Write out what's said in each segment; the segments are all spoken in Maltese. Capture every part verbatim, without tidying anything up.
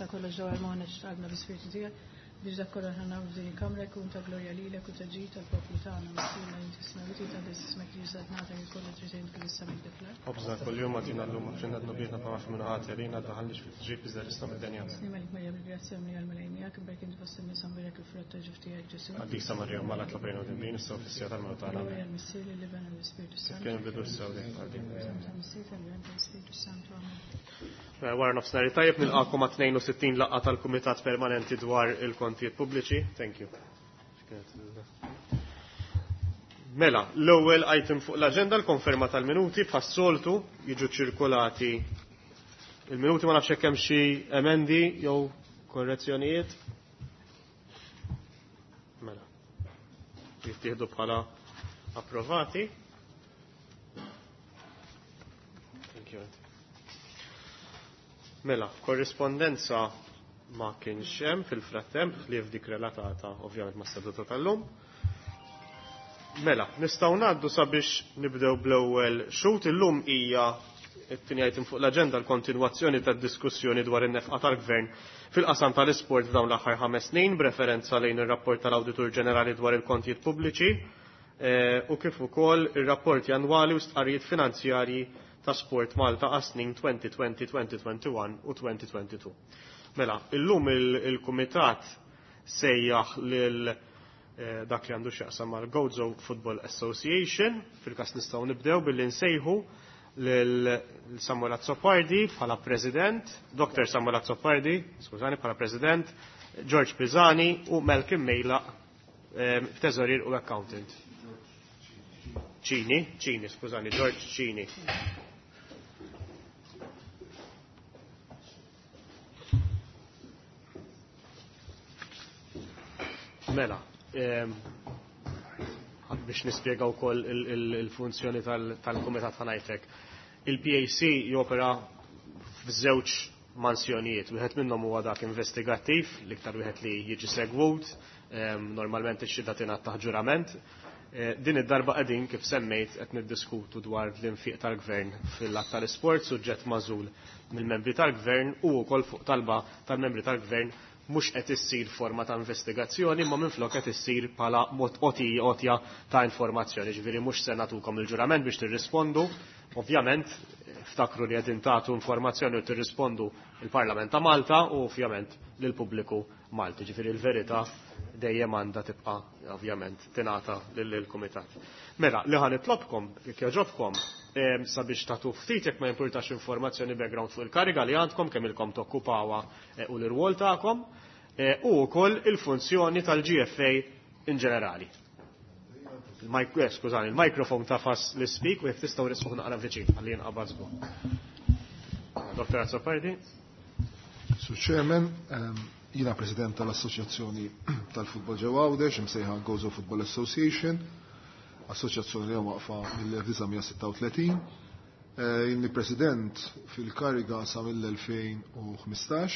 Tista' kollox ġewwa l-moħħna x'talbna bi-Spiritu tiegħek biex dak kollu aħna nagħmlu f'din il-kamra jkun ta' glorja lilek u ta' ġid tal-poplu tagħna. Missierna li inti fis-smewwiet jitqaddes ismek jiġi saltnatek ikollha trid int kif is-sema kif fl-art. Ħobżna kuljum agħtina llum aħfrilna dnubietna bħalma aħna ħati għalina daħalniex fit-tiġrib iżda ħlisna mid-denja. Slim għalik Marija bil-grazzja mimlija l-Mulej miegħek, imberek inti fost in-nisa mbierek il-frott ta' ġuf tiegħek Ġesù. Qaddisa Marija Omm Alla itlob għalina midinbin issa u fis-siegħa tal-mewt tagħna. Glorja lill-Missier, lill-Iben u lill-Ispirtu Kif Santu. kien bidu issa u dejjem għal dejjem. Tal-Missier, tal-Iben, tal-Ispirtu Santu. Amen. Mela, wara nofsinhar tajjeb nilqakom għat tnejn u sittin laqgħa tal-Kumitat Permanenti dwar il-Kontijiet Pubbliċi. Thank you. Mela, l-ewwel item fuq l-aġenda l-konferma tal-minuti bħas-soltu jiġu ċirkolati il-minuti, ma nafx hekk hemm xi emendi jew korrezzjonijiet. Mela, jittieħdu bħala approvati. Thank you. Mela, korrispondenza ma kienx hemm fil-frattemp li f'dik relatata ovvjament ma' seduta tal-lum. Mela, nistgħu ngħaddu sabiex nibdew bl-ewwel xhud. Illum hija t-tieni item fuq l-aġenda l-kontinwazzjoni tad-diskussjoni dwar in-nefqa tal-Gvern fil-qasam tal-isport f'dawn l-aħħar ħames snin b'referenza lejn ir-rapport tal-Awditur Ġenerali dwar il-kontijiet pubbliċi, eh, u kif ukoll ir-rapporti annwali u stqarrijiet finanzjarji ta' Sport Malta għas-snin twenty twenty, twenty twenty-one u twenty twenty-two. Mela, illum il-, il-Kumitat sejjaħ lil, eh, dak li għandu x'jaqsam mal-Gozo Football Association. Fil-każ nistgħu nibdew billi nsejħu lil Samuel Azzopardi bħala President, Doktor Samuel Azzopardi, skużani, bħala President, George Pisani u Malcolm Mejla, eh, Teżorier u Accountant. Cini, Cini, skużani, George Cini. Mela, ehm, biex nispjega wkoll il-, il-, il-funzjoni tal-, tal-Kumitat ħanajtek. Il-P A C jopera f'żewġ mansjonijiet. Wieħed minnhom huwa dak investigattiv, l-iktar wieħed li jiġi segwut, ehm, normalment ix-xhieda tingħata taħt ġurament. Eh, din id-darba qegħdin kif semmejt qed niddiskutu dwar l-infiq tal-Gvern fil-att tal-isport, suġġett magħżul mill-membri tal-Gvern u wkoll fuq talba tal-membri tal-Gvern mhux qed issir forma ta' investigazzjoni, imma minflok qed issir bħala mod qotija ta' informazzjoni. Ġifieri mhux se nagħtukom il-ġurament biex tirrispondu. Ovvjament, ftakru li qegħdin tagħtu informazzjoni u tirrispondu il-Parlament ta' Malta u ovvjament lill-pubbliku Malti. Ġifieri l-verità dejjem għandha tibqa' ovvjament tingħata lill-Kumitat. Mela, li ħa nitlobkom, jekk jogħġobkom, em, sabiex tagħtu ftit jekk ma jimpurtax informazzjoni background fuq il-kariga li għandkom, kemm ilkom tokkupawha, eh, u l-irwol tagħkom, eh, u wkoll il-funzjoni tal-G F A in ġenerali. Il-mik-, eh, skużani, il-mikrofon tafas l-speak u jekk tistgħu risqu naqra viċin ħalli jinqabad żgur. Doktor Azzopardi. Sur Chairman, ehm, jiena President tal-Assoċjazzjoni tal-Futbol ġewwa Għawdex, imsejħa Gozo Football Association, assoċjazzjoni li waqfa mill-elf disa' mija sitta u tletin. Eh, Inni President fil-kariga sa mill-elfejn u ħmistax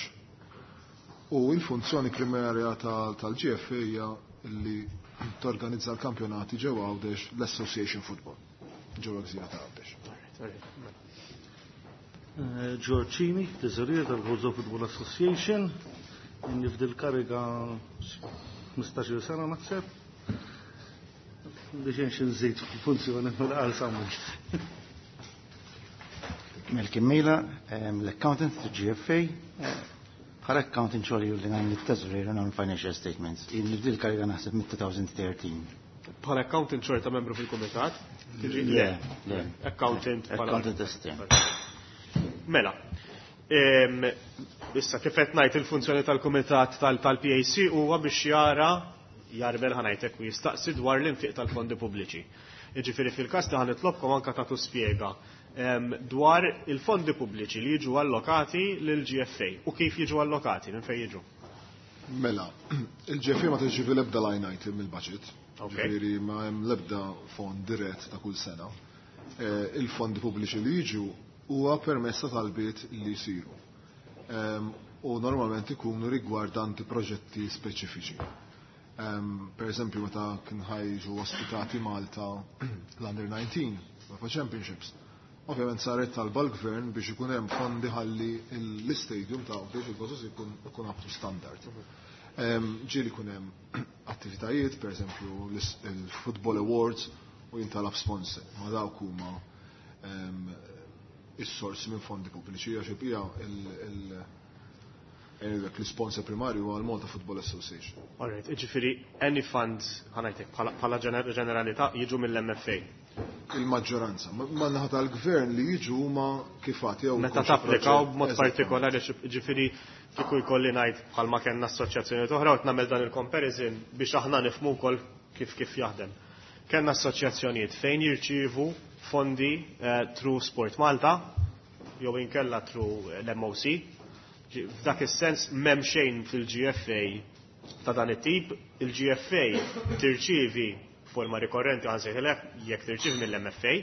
u il-funzjoni primarja tal-, tal-G F A hija li torganizza l-kampjonati ġewwa Għawdex l-Association Football ġewwa Gżira ta' Għawdex. Eh, George Cini, teżorier tal-Gozo Football Association, inni f'dil kariga ħmistax-il sena naħseb. Biex nxin nżid fil-funzjoni mill-qal Samuel. Malcolm Mejla, ehm, l-accountant tal-G F A, eh, bħala accountant xogħol li nagħmel it-teżorier u nagħmel financial statements. Inni f'dil kariga naħseb mit-two thousand thirteen. Bħala accountant xorta membru fil-kumitat? Tiġi? Le, le. Accountant bħala Accountant estern. Mela, em, issa kif qed ngħid il-funzjoni tal-kumitat tal-, tal-P A C huwa biex jara jarbel ħanajtek u jistaqsi dwar l-infiq tal-fondi pubbliċi. Jiġifieri fil-każ li ħanitlobkom anke tagħtu spjega, em, dwar il-fondi pubbliċi li jiġu allokati lil G F A u kif jiġu allokati, minn fejn jiġu. Mela, il-G F A ma tirċievi l-ebda line item mill-budget. Ok. Ġifieri ma hemm l-ebda fond dirett ta' kull sena. Eh, il-fondi pubbliċi li jiġu huwa permess ta' talbiet li jsiru. Em, u normalment ikunu rigwardanti proġetti speċifiċi. Em, per eżempju, meta kien ħajġu ospitati Malta l-Under nineteen, UEFA Championships, Ovvjament saret talba l-gvern biex ikun hemm fondi ħalli l-istadium ta' biex il-Gozo ikun ikun up to standard. Ġieli jkun hemm attivitajiet, per eżempju il-Football Awards u jintalab sponsor, ma dawk huma is-sorsi minn fondi pubbliċi għax il-bqija l-sponsor primarju huwa l-Malta Football Association. Alright, jiġifieri any funds ħa ngħidlek bħala ġeneralità jiġu mill-M F A. Il-maġġoranza. Ma naħa tal-gvern li jiġu huma kif għad jew Meta tapplikaw b'mod partikolari, ġifieri kieku jkolli ngħid bħalma kellna assoċjazzjoni oħra u nagħmel dan il-comparison biex aħna nifhmu wkoll kif kif jaħdem. Kellna assoċjazzjonijiet fejn jirċievu fondi eh, through Sport Malta jew inkella through l-M O C. F'dak is-sens m'hemm xejn fil-G F A ta' dan it-tip, il-G F A tirċievi forma rikorrenti, ħa nsejħilek, jekk tirċievi mill-M F A,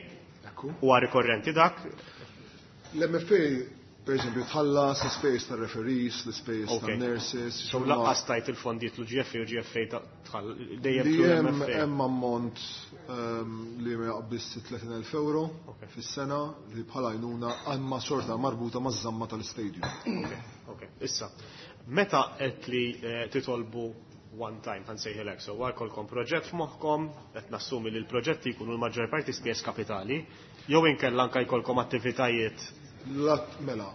huwa rikorrenti dak. L-M F A, per eżempju, tħallas l-ispejjeż tar-referees, l-ispejjeż tan-nurses. So lanqas tajt il-fondi jitlu G F A u G F A tħall dejjem hemm hemm ammont ehm, li ma jaqbiss tletin elf euro fis-sena li bħala għajnuna għandma xorta marbuta maż-żamma tal-istadium. Ok, issa, meta qed li eh, titolbu one time, ħa nsejħilek, so jkollkom proġett f'moħħkom, qed nassumi li l-proġetti jkunu l-maġġor parti spejjeż kapitali, jew inkella anke jkollkom attivitajiet? Lat mela,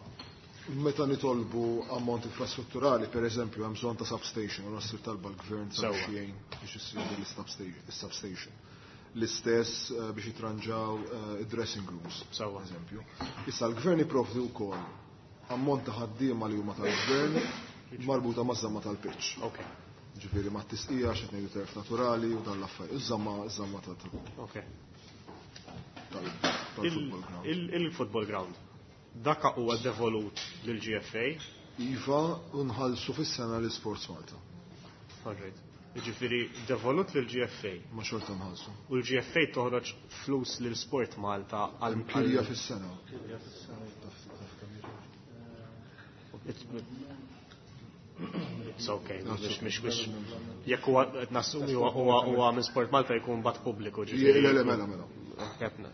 meta nitolbu ammont infrastrutturali, per eżempju, hemm bżonn ta' substation, u nassir talba l-gvern Sewwa. sabiex biex issir l-substation. L-istess eh, biex jitranġaw eh, id-dressing rooms, Sewwa. eżempju. Issa l-gvern jipprovdi wkoll ammont ta' ħaddiema li huma tal-gvern marbuta maż-żamma tal-pitch. Ok, Ġifieri ma' tisqija x'qed ngħidu terf naturali u dan l-affarijiet. Iż-żamma iż-żamma tal- ok. tal- tal-football ground. Il- Il-football ground. Daka huwa devolut lill-G F A? Iva, unħallsu fis-sena l-Sports Malta. Alright. Ġifieri devolut lill-G F A. Ma xorta nħallsu. U l-G F A toħroġ flus lil Sport Malta għal Kirja fis-sena. It's okay, mhux mhux mhux jekk huwa qed nassumi huwa huwa huwa minn Sport Malta jkun bat pubbliku, ġifieri. Le, le, mela, mela. Qedna.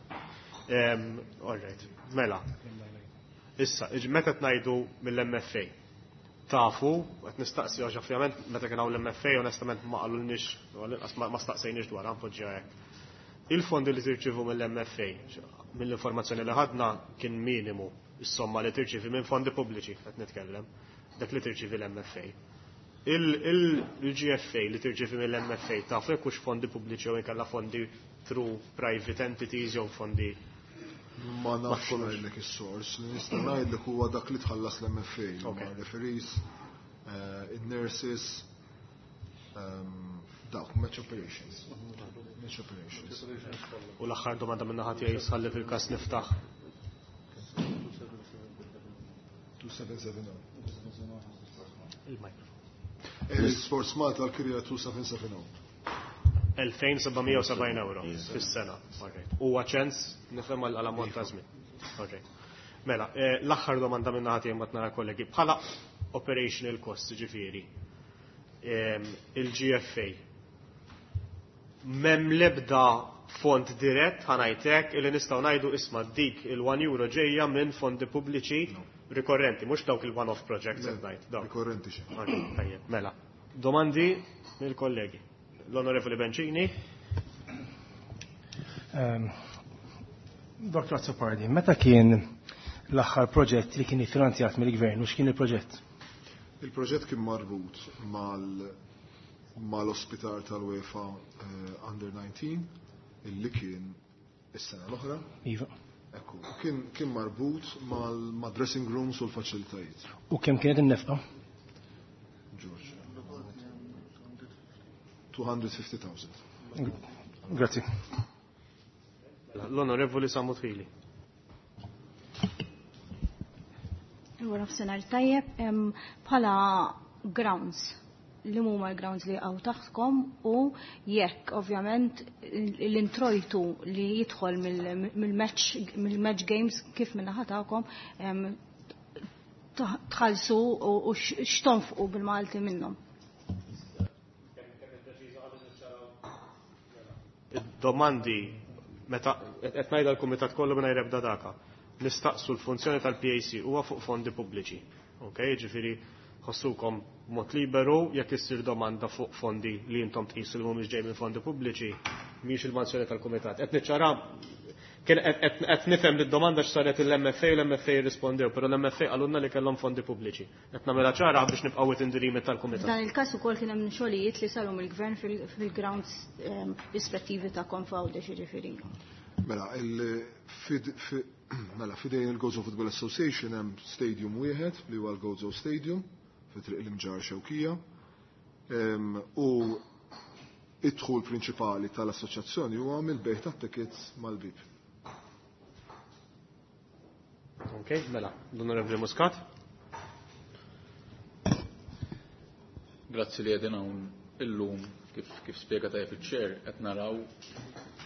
Em, All right, mela. Issa, iġ- meta tnajdu mill-M F A, tafu, qed nistaqsi għax ovvjament meta kien hawn l-M F A onestament ma qalulniex, u għall-inqas ma ma staqsejniex dwar npoġġiha hekk. Il-fondi li tirċivu mill-M F A, mill-informazzjoni li ħadna kien minimu is-somma li tirċivi minn fondi pubbliċi, qed nitkellem, dak li tirċivi l-M F A. Il-G F A li tirċivi mill-M F A tafu jekk hux fondi pubbliċi jew inkella fondi through private entities jew fondi? Ma nafx ngħidlek is-sors, li nista' ngħidlek huwa dak li tħallas l-M F A, Ok. ma' referees, eh, in-nurses, ehm, dawk match operations. Match operations. U l-aħħar domanda minn naħa tiegħi sħalli fil-każ niftaħ. two seven seven zero. Il-mikrofon. Il-Sports Malta l-kirja two seven seven zero. elfejn u seba' mija u sebgħin euro fis-sena. Alright. Huwa ċens nifhem għal ammont ta' żmien. Alright. Mela, eh, l-aħħar domanda minn naħa tiegħi mbagħad nara kollegi. Bħala operational cost, ġifieri, em, il-G F A m'hemm lebda fond dirett, ħa ngħidlek, illi nistgħu ngħidu isma' dik il-one euro ġejja minn fondi pubbliċi rikorrenti, mhux dawk il-one-off projects qed ngħid. Dawk. Rikorrenti xejn. Alright, tajjeb, mela. Domandi mill-kollegi. L-Onorevoli Bencini. Um, Doktor Azzopardi, meta kien l-aħħar proġett li kien iffinanzjat mill-gvern u x'kien il-proġett? Il-proġett kien marbut mal mal-ospitar tal-UEFA eh, Under nineteen illi kien is-sena l-oħra. Iva. Ekku, kien, kien marbut mal ma' dressing rooms u l-faċilitajiet. U kemm kienet in-nefqa? George. two hundred fifty thousand. Grazzi. L-Onorevoli Sammut Hili. Wara nofsinhar tajjeb, em, bħala grounds, li huma l-grounds li għaw taħtkom u jekk ovvjament l-introjtu li jidħol mill-match mill-match games kif minna tagħkom em, tħallsu u u x'tonfqu bil-Malti minnhom. Domandi, meta qed ngħidha l-kumitat kollu mingħajr ebda daka. nistaqsu l-funzjoni tal-P A C huwa fuq fondi pubbliċi. Ok, ġifieri ħossukom mod liberu jekk issir domanda fuq fondi li intom tqisu li mhumiex ġej minn fondi pubbliċi, mhix il-manzjoni tal-kumitat. Qed niċċara, kien qed nifhem li d-domanda x'saret il-M F A u l-M F A rispondew, però l-M F A qalulna li kellhom fondi pubbliċi. Qed nagħmilha ċara biex nibqgħu within the remit tal-kumitat. Dan il-każ ukoll kien hemm xogħlijiet li saru mill-gvern fil-grounds ehm, rispettivi ta' F'Għawdex, jiġifieri. Mela, mela, fidejn il-Gozo Football Association hemm stadium wieħed li huwa l-Gozo Stadium fi Triq l-Imġarr, Xewkija. U id-dħul prinċipali tal-assoċjazzjoni huwa mill-bejgħ tat-tickets mal-bib. Ok, mela, l-Onorevoli Muscat. Grazzi li qegħdin hawn illum. kif, kif spiega tajjeb il-chair, qed naraw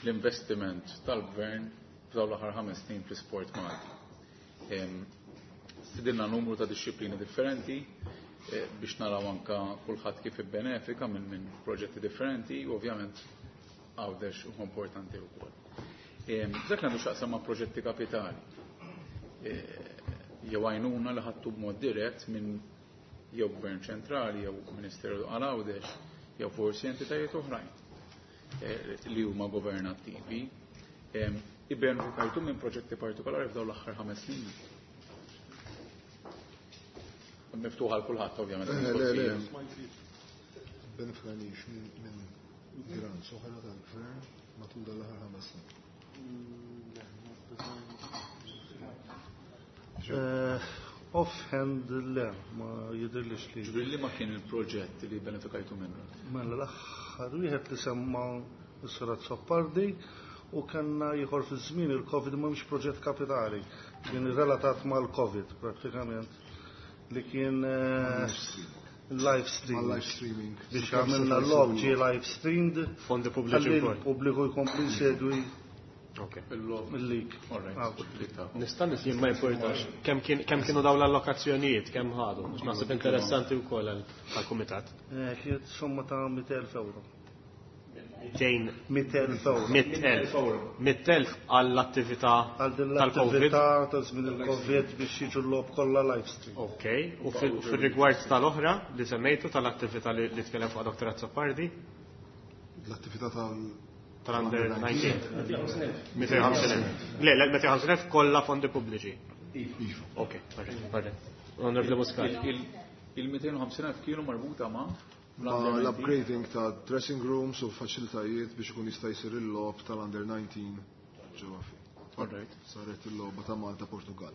l-investiment tal-gvern f'dawn l-aħħar ħames snin fl-sport Malti. Stidilna numru ta' disċiplini differenti eh, biex naraw anka kulħadd kif ibbenefika minn min proġetti differenti u ovvjament Għawdex u importanti wkoll. Dak għandu x'jaqsam ma' proġetti kapitali. Eh, jew għajnuna li ħadtu b'mod dirett minn jew Gvern ċentrali jew Ministeru għal Għawdex jew forsi entitajiet oħrajn eh, li huma governattivi. Ibbenefikajtu minn proġetti partikolari f'dawn l-aħħar ħames snin? Miftuħa għal kulħadd, ovvjament. Eh, le, le. Benefikajniex minn grants oħra tal-gvern matul dal-aħħar ħames snin. Eh, offhand le, ma jidirlix li. Ġifieri li ma kien il-proġett li benefikajtu minnu? Mela, l-aħħar wieħed li semma s-Sur Azzopardi u kellna ieħor fi żmien il-Covid, ma mhux proġett kapitali, kien relatat mal-Covid prattikament, li kien eh, live stream. Live streaming. Biex għamilna l-logħob ġie live streamed. Fondi pubbliċi ħalli wkoll. l-pubbliku jkompli jsegwi Ok. il-league. Nista' jien ma importax. Kemm kien- kemm kienu dawn l-allokazzjonijiet, kemm ħadu? Għax naħseb interessanti wkoll għall-kumitat. Eh, Kienet somma ta' mitt elf euro. Tejn mitt elf euro. mitt elf. Mitt elf għall-attività Għal din tal-Covid. l-attività ta' żmien il-Covid biex jiġu l-logħob kollha live stream. Ok, u fil- fil-rigward tal-oħra li semmejtu, tal-attività li li tkellem fuq Doktor Azzopardi, L-attività tal- tal-under nineteen. mitejn u ħamsin elf. Le, le, mitejn u ħamsin elf kollha fondi pubbliċi. Iva. Ok, alright, alright. Onorevoli Muscat. Il-mitejn u ħamsin elf kienu marbuta ma' Ma l-upgrading ta' dressing rooms u faċilitajiet biex ikun jista' jsir il-logħob tal-under nineteen ġewwa fi. Alright. Saret il-logħba ta' Malta Portugal.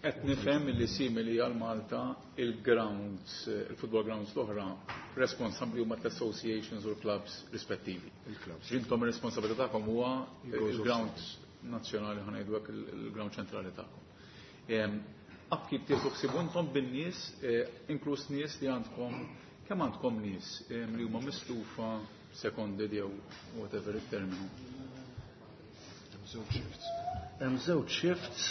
Qed nifhem li simili għal Malta, il-grounds, il-football grounds l-oħra, responsabbli huma l-associations u l-clubs rispettivi. Il-clubs. Intom ir-responsabilità tagħkom huwa Il-Gozo. Il-ground nazzjonali, ħa ngħidu hekk, il-ground ċentrali tagħkom. Em, Upkeep tieħdu ħsibu intom bin-nies, eh, inkluż nies li għandkom, kemm għandkom nies em, li huma mislufa, seconded jew whatever it-terminu? Hemm żewġ shifts. Hemm żewġ shifts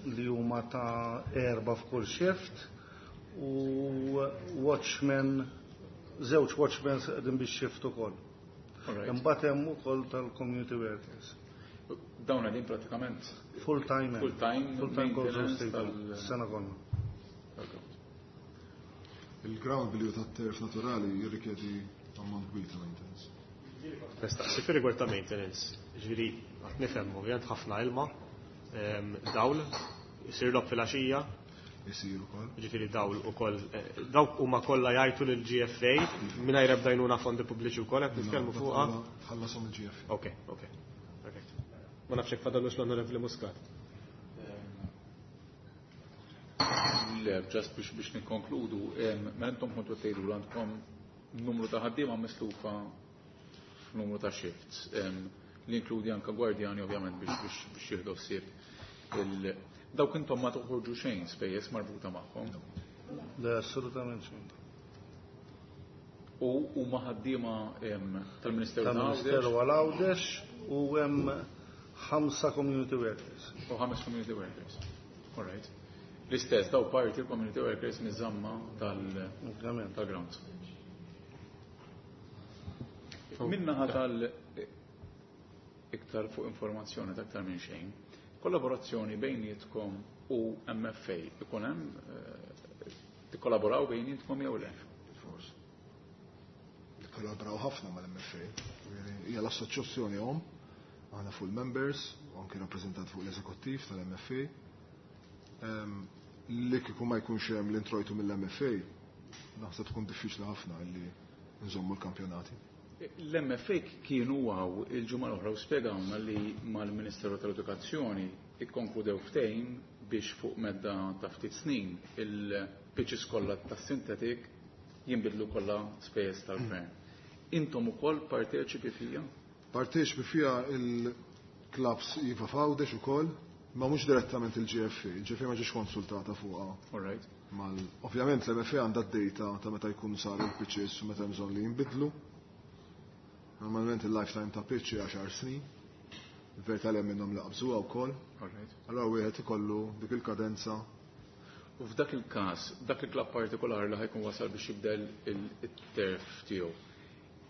li huma ta' erba' f'kull shift u watchmen, żewġ watchmen qegħdin biex shift ukoll. Alright. Imbagħad hemm ukoll tal-community workers. Dawn qegħdin pratikament Full time. Full time Full time Gozo maintenance Stadium. tal- Sena kollha. Tal-ground. Il-ground billi hu tat-turf naturali jirrikjedi ammont kbir ta' maintenance. Nistaqsi fi rigward ta' maintenance, ġifieri, għat nifhem, ovvjament ħafna ilma, em, dawl, isir logħob fil-għaxija, Isir ukoll. Ġifieri dawl ukoll, eh, dawk huma kollha jgħidu lil G F A mingħajr ebda għajnuna fondi pubbliċi wkoll qed nitkellmu fuqha. Tħallasom il-G F A. Ok, ok. Perfect. Ma nafx jekk fadallux l-Onorevoli Muscat. Le, just biex biex nikkonkludu, em, mela intom kontu tgħidu li għandkom numru ta' ħaddiema mislufa f'numru ta' shifts, em, li inkludi anka gwardjani ovvjament biex biex biex jieħdu ħsieb il dawk, intom ma toħorġu xejn spejjeż marbuta magħhom? Le, assolutament xejn. U huma ħaddiema em, tal-Ministeru ta' Tal-Ministeru Għawdex għal Għawdex u hemm ħamsa community workers. U ħames community workers. All right. L-istess daw parti l-community workers miż-żamma tal Ovvjament. Tal-grounds. Minnaħa tal iktar fuq informazzjoni ta' aktar minn xejn, Kollaborazzjoni bejnietkom u M F A, ikun hemm eh, tikkollaboraw bejnietkom jew le? Forse. Nikkollaboraw ħafna mal-M F A. Hija l-assoċjazzjoni omm, aħna full members, u anki rappreżentant fuq l-eżekuttiv tal-M F A. Li kieku ma jkunx hemm l-introjtu mill-M F A, naħseb tkun diffiċli ħafna li nżommu l-kampjonati. L-M F A kienu hawn il-ġimgħa l-oħra u spjegawna li mal-Ministeru tal-Edukazzjoni ikkonkludew ftehim biex fuq medda ta' ftit snin il-pitches kollha tas-synthetic jinbidlu kollha spejjeż tal-gvern. Intom ukoll parteċipi fija? Parteċipi fija il-clubs iva f'Għawdex ukoll, ma mhux direttament il-G F A. Il-G F A ma ġiex konsultata fuqha. All right. Mal, ovvjament l-M F A għandha d-data ta' meta jkunu saru l-pitches u meta hemm bżonn li jinbidlu. Normalment il-lifetime ta' pitch hija għaxar snin. Il-verità li hemm minnhom li qabżuha wkoll. All right. Allora wieħed ikollu dik il-kadenza. U f'dak il-każ, dak il-klabb partikolari li ħa jkun wasal biex jibdel il-turf tiegħu,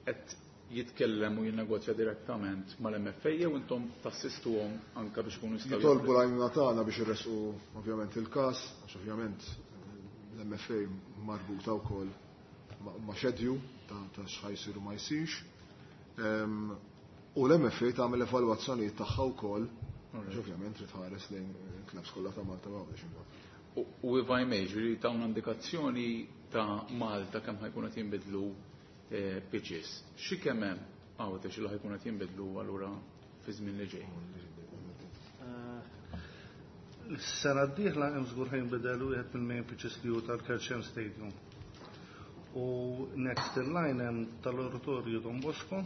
qed jitkellem u jinnegozja direttament mal-M F A jew intom tassistuhom anka biex ikunu jistgħu Jitolbu l-għajnuna tagħna biex irresqu ovvjament il-każ, għax ovvjament l-M F A marbuta wkoll ma' ma' schedule ta' ta' x'ħa jsir u ma jsirx. Em, U l-M F A tagħmel evalwazzjonijiet tagħha wkoll, għax ovvjament trid tħares lejn il-clubs kollha ta' Malta u Għawdex imbagħad. U u if I may, ġifieri tawna indikazzjoni ta' Malta kemm ħa jkun qed jinbidlu eh, pitches. Xi kemm hemm Għawdex li ħa jkun qed jinbidlu allura fi żmien li ġej? Is-sena d-dieħla hemm żgur ħa jinbidel wieħed mill-main pitches li hu tal-Kerċem Stadium. U next in line hemm tal-Oratorju Don Bosco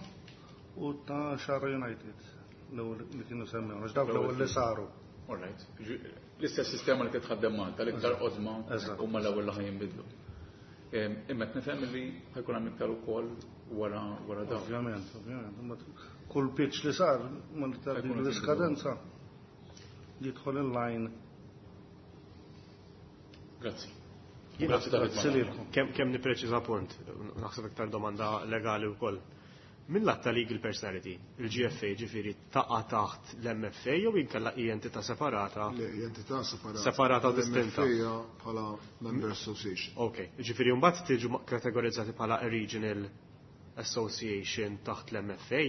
u ta' Xagħra United l-ewwel li kienu semmew, għax dawk l-ewwel li saru. All right. Ġi- L-istess sistema li titħaddem Malta, l-iktar qodma Eżatt. huma l-ewwel li ħa jinbidlu. Em, Imma qed nifhem li ħa jkun hemm iktar ukoll wara wara dawn. Ovvjament, ovvjament. Imbagħad kull pitch li sar, ma li Ħa jkunu l-iskadenza jidħol in line. Grazzi. Grazzi ta' Grazzi lilkom. Kemm kemm nippreċiża punt, naħseb iktar domanda legali wkoll. Min lat ta' legal personality, il-G F A ġifieri taqa' taħt l-M F A jew inkella hi entità separata? Le, hija entità separata. Separata u distinta. L-M F A bħala Member Association. Ok, ġifieri mbagħad tiġu kategorizzati bħala a regional association taħt l-M F A.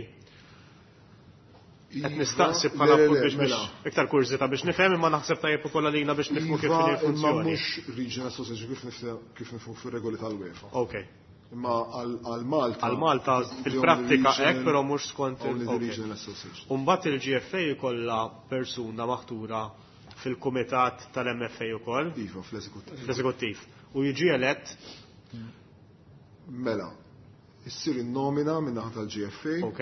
Qed nistaqsi bħala Le, le, punt le, biex mela. biex iktar kurżità biex nifhem, imma naħseb tajjeb ukoll għalina biex nifhmu kif Iva, inhi imma l-funzjoni. mhux regional association kif nifhem kif nifhmu fir-regoli tal-UEFA. Ok. Imma għal għal Malta. Għal Malta fil-prattika hekk, però mhux skont il- Only the ok. regional association. Umbagħad il-G F A jkollha persuna maħtura fil-kumitat tal-M F A ukoll, Iva, fl-eżekuttiv. fl-eżekuttiv. U jiġi elett, Mela, issir in-nomina minn naħa tal-G F A ok,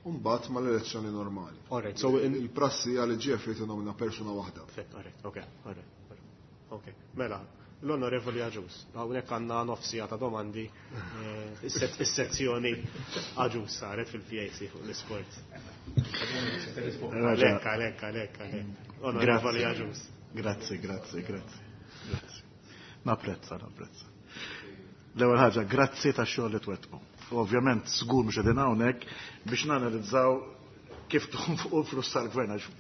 u mbagħad mal-elezzjoni normali. Alright, so in- Il-prassi għal il-G F A tinnomina persuna waħda. Perfett, alright, ok, alright, alright. Ok, mela, l-Onorevoli Agius, hawnhekk għandna nofs siegħa ta' domandi, eh, is-set- is-sezzjoni Agius saret fil-P A C fuq l-isport. Għalek, għalek, għalek, għalek. Onorevoli Agius. Grazzi, grazzi, grazzi. Grazzi. Napprezza, napprezza. L-ewwel ħaġa, grazzi tax-xogħol li twettqu. U ovvjament żgur mhux qegħdin hawnhekk biex nanalizzaw kif tonfqu l-flus tal-gvern, għax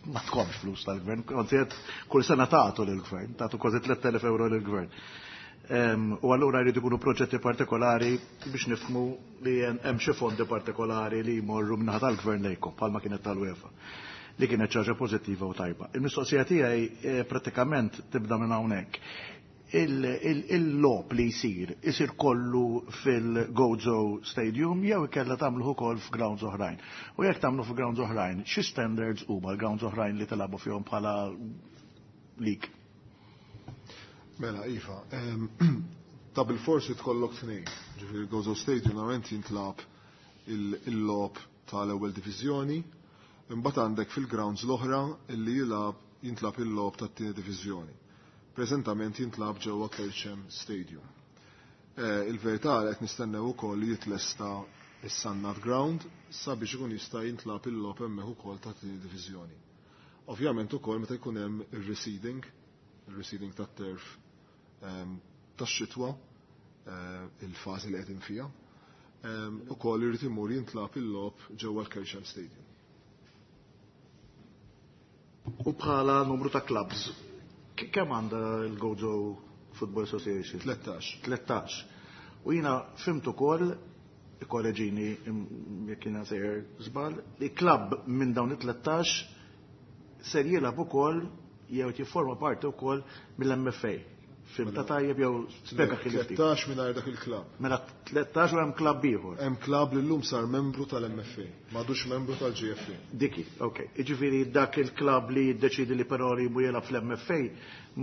ma tkomx flus tal-gvern, kont qed kull sena tagħtu lill-gvern, tagħtu kważi tliet elef euro lill-gvern. Em, U allura jridu jkunu proġetti partikolari biex nifhmu li hemm xi fondi partikolari li jmorru min-naħa tal-gvern lejkom, bħalma kienet tal-UEFA, li kienet ħaġa pożittiva u tajba. Il-mistoqsija tiegħi eh, pratikament tibda minn hawnhekk. Il-logħob li jsir, isir kollu fil-Gozo Stadium jew ikella tagħmluh ukoll f'grounds oħrajn? U jekk tagħmlu f'grounds oħrajn, xi standards huma l-grounds oħrajn li tilagħbu fihom bħala league? Mela, iva, em, ta' bil-forsi tkollok tnejn. Ġifieri il-Gozo Stadium normalment jintlagħab il-logħob tal-ewwel diviżjoni, imbagħad għandek fil-grounds l-oħra illi jilgħab jintlagħab il-logħob tat-tieni diviżjoni. Preżentament jintlagħab ġewwa Kerċem Stadium. Eh, Il-verità li qed nistennew ukoll li jitlesta is-Sannat Ground sabiex ikun jista' jintlagħab il-logħob hemmhekk ukoll tat-tieni diviżjoni. Ovvjament ukoll meta jkun hemm ir-reseeding, il-reseeding tat-turf em, tax-xitwa, eh, il-fażi li qegħdin fiha, em, ukoll irid imur jintlagħab il-logħob ġewwa l-Kerċem Stadium. U bħala numru ta' clubs, kemm għandha l-Gozo Football Association? Tlettax. Tlettax. U jiena fhimt ukoll, ikkoreġini jekk jiena sejjer żball, li klabb minn dawn it-tlettax ser jilgħab ukoll jew jifforma parti wkoll mill-M F A. Fhimtha tajjeb jew spjega kif ftit? Tlettax mingħajr dak il-klabb. Mela tlettax u hemm klabb ieħor. Hemm klabb li llum sar membru tal-M F A, m'għadux membru tal-G F A. Diki, ok. Jiġifieri dak il-klabb li jiddeċidi li però li jmur jilgħab fl-M F A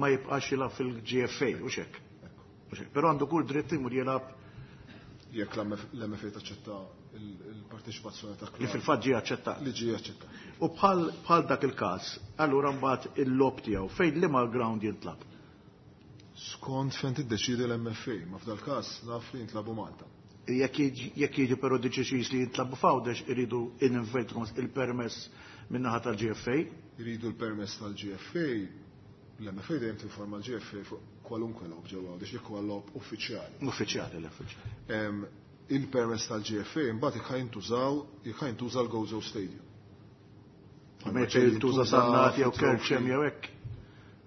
ma jibqax jilgħab fil-G F A, u hekk. Però għandu kull dritt imur jilgħab. Jekk l-M F A taċċetta il-parteċipazzjoni ta' Li fil-fatt ġie aċċettat. Li ġie aċċettat. U bħal bħal dak il-każ, allura mbagħad il-logħob tiegħu fejn, liema ground jintlagħab? Skont fejn tiddeċidi l-M F A, ma f'dal każ naf li jintlagħbu Malta. Jekk jiġi però deċiż li jintlagħbu f'Għawdex, iridu il-permess min-naħa tal-G F A. Iridu l-permess tal-G F A, l-M F A dejjem tinforma l-G F A fuq kwalunkwe logħob ġewwa Għawdex jekk huwa logħob uffiċjali. Uffiċjali, l-uffiċjali. Il-permess tal-G F A mbagħad jekk jintużaw, jekk jintuża l-Gozo Stadium. Meta jintuża Sannat jew Kerċem jew hekk.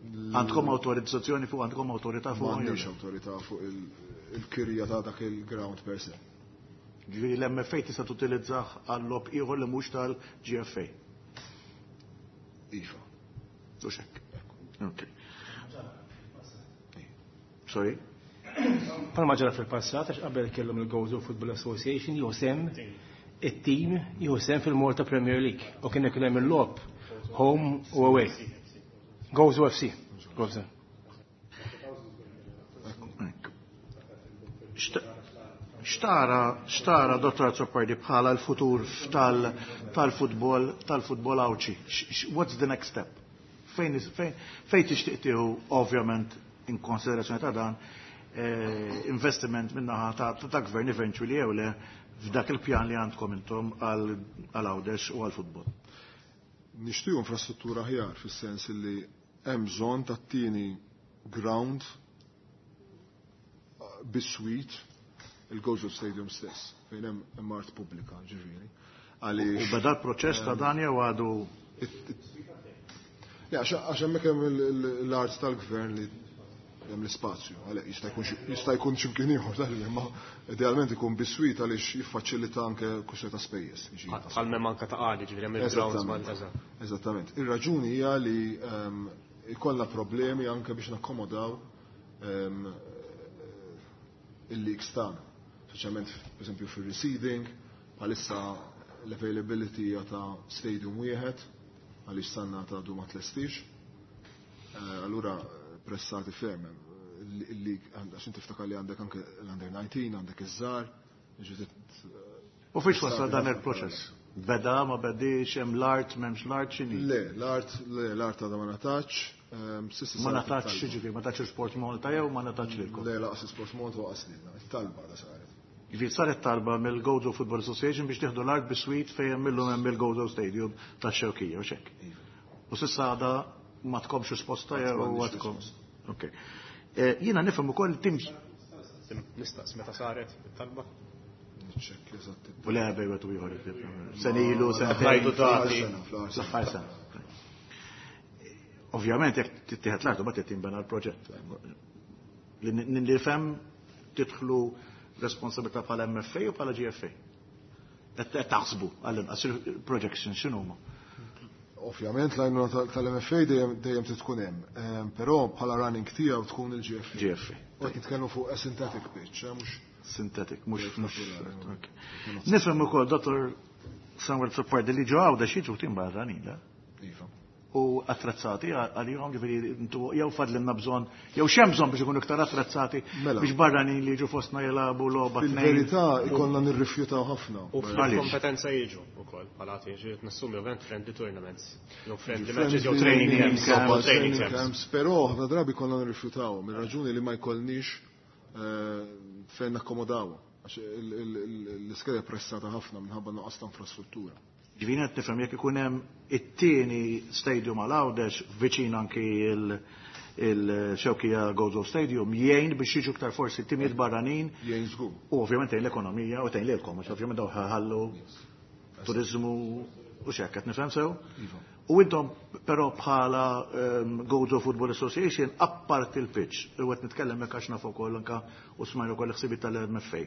Għandkom autorizzazzjoni fuq, għandkom awtorità fuq? M'għandix awtorità fuq il-kirja ta' dak il-ground per se. Ġifieri l-M F A tista' tutilizzah għal logħob ieħor li mhux tal-G F A. Iva. U hekk. Ok. Sorry? Palma ġara fil-passat, għax qabel kellhom il-Gozo Football Association jieħu sehem it-team jieħu sehem fil-Malta Premier League u kien ikun hemm il-logħob home u away. Gozo F C. Gozo. Xtara, xtara, Dottor Azzopardi, bħala l-futur tal-futbol, tal-futbol Għawdxi? What's the next step? Fejn fejn tixtieq tieħu, ovvjament in konsiderazzjoni ta' dan, eh, investiment min-naħa ta' ta' gvern eventually jew le f'dak il-pjan li għandkom intom għal Għawdex u għal futbol? Nixtiequ infrastruttura aħjar, fis-sens li hemm bżonn tat-tieni ground biswit il-Gozo Stadium stess, fejn hemm art pubblika, ġifieri. U beda l-proċess ta' dan jew għadu? Ja, għax hemmhekk hemm l-art tal-gvern li hemm l-ispazju, għalhekk jista' jkun jista' jkun x'imkien ieħor tal, imma idealment ikun biswit għaliex jiffaċilita anke kwistjoni ta' spejjeż. Bħal m'hemm anke Ta' Qali, ġifieri hemm il-grounds mal. Eżattament. Ir-raġuni hija li ehm, ikollna problemi anke biex nakkomodaw ehm, il-leagues tagħna. Speċjalment, pereżempju, fir-reseeding, bħalissa l-availability hija ta' stadium wieħed għaliex Sannat għadu ma tlestix. Eh, allura pressati ferm il-league, għax inti tiftakar li għandek anke l-under nineteen, għandek iż-żgħar. U fiex wasal dan il-proċess? Beda, ma bedix, hemm l-art, m'hemmx l-art, x'inhi? Le, l-art, le, l-art għadha ma ngħatatx. Ma ngħatatx, ġifieri, ma ngħatatx Sport Malta jew ma ngħatatx lilkom? Le, lanqas Sport Malta lanqas lilna, it-talba għadha saret. Ġifieri saret talba mill-Gozo Football Association biex tieħdu l-art biswit fejn millum hemm il-Gozo Stadium tax-Xewkija, u hekk. Iva. U s'issa għadha ma tkomx risposta jew għadkom? Ok. Jiena nifhem ukoll teams. Nistaqs meta saret it-talba? Niċċekkja eżatt. U le, bejn wieħed u ieħor. Sena ilu, sentejn. L-aħħar sena. Ovvjament jekk tittieħed l-art ma tinbena l-proġett. Li nifhem tidħlu responsabilità bħala M F A u bħala G F A. Qed taħsbu għall-inqas il-projection x'inhuma? Ovvjament l-għajnuna tal-M F A dejjem dejjem tkun hemm, ehm, però bħala running tiegħu tkun il-G F A. G F A. U qed nitkellmu fuq a synthetic pitch, eh, mhux synthetic, mhux mhux. Nifhem ukoll, Dottor Samuel Azzopardi, li ġo Għawdex jiġu tim barranin, la? Iva. U attrezzati għalihom, ġifieri intu jew fadlinna bżonn, jew x'hemm bżonn biex ikunu iktar attrezzati Mela. biex barranin li jiġu fostna jilagħbu logħba tnejn? Fil-verità ikollna nirrifjutaw ħafna. U fil-kompetenza jiġu ukoll bħala ġiet nassumi ovvjament friendly tournaments, jew friendly matches jew training camps, jew training camps. Però ħafna drabi konna nirrifjutaw minn raġuni li ma jkollniex eh, fejn nakkomodaw. Għax l-iskeda pressata ħafna minħabba nuqqas ta' infrastruttura. Ġifieri qed nifhem jekk ikun hemm it-tieni stadium għal Għawdex viċin anki il-Xewkija Gozo Stadium, jgħin biex jiġu iktar forsi timijiet barranin. Jgħin żgur. U ovvjament tgħin l-ekonomija u tgħin lilkom, għax ovvjament daw ħallu turizmu u x'hekk, qed nifhem sew? Iva. U intom però bħala um, Gozo Football Association apart il-pitch, u qed nitkellem hekk għax naf ukoll anka u smajna wkoll ħsibiet tal-M F A.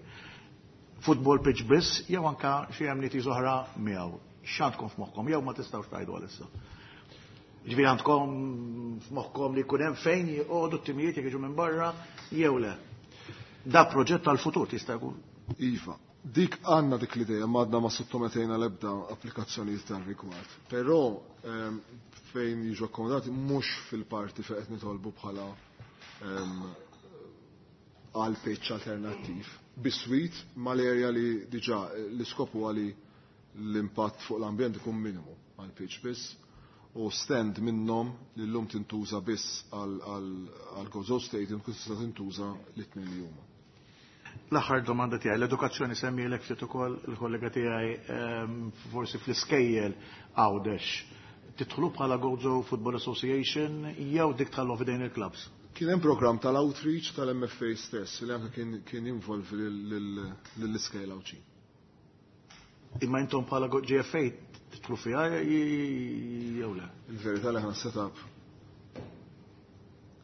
Football pitch biss jew anka xi amenities oħra miegħu? X'għandkom f'moħħkom jew ma tistgħux tgħidu għalissa? Ġifieri għandkom f'moħħkom li jkun hemm fejn joqogħdu t-timijiet jekk jiġu minn barra jew le? Da proġett tal-futur tista' jkun. Iva, dik għandna dik l-idea, ma għadna ma sottometejna l-ebda applikazzjonijiet tal-rigward. Però ehm, fejn jiġu akkomodati mhux fil-parti fejn qed nitolbu bħala ehm, għal pitch alternattiv. Biswit mal-area li diġà l-iskop huwa li l-impatt fuq l-ambjent ikun minimu għal pitch biss u stand minnhom li llum tintuża biss għal Gozo Stadium kun tista' tintuża l-tnejn li huma. L-aħħar domanda tiegħi, l-edukazzjoni semmielek ftit ukoll il-kollega tiegħi, ehm, forsi fl-iskejjel Għawdex. Tidħlu bħala Gozo Football Association jew dik tħallu f'idejn il-clubs? Kien hemm programm tal-outreach tal-M F A stess li anke kien kien involvi lill-iskejjel Għawdxin. Imma intom bħala G F A tidħlu fiha jew le? Il-verità li ħa setup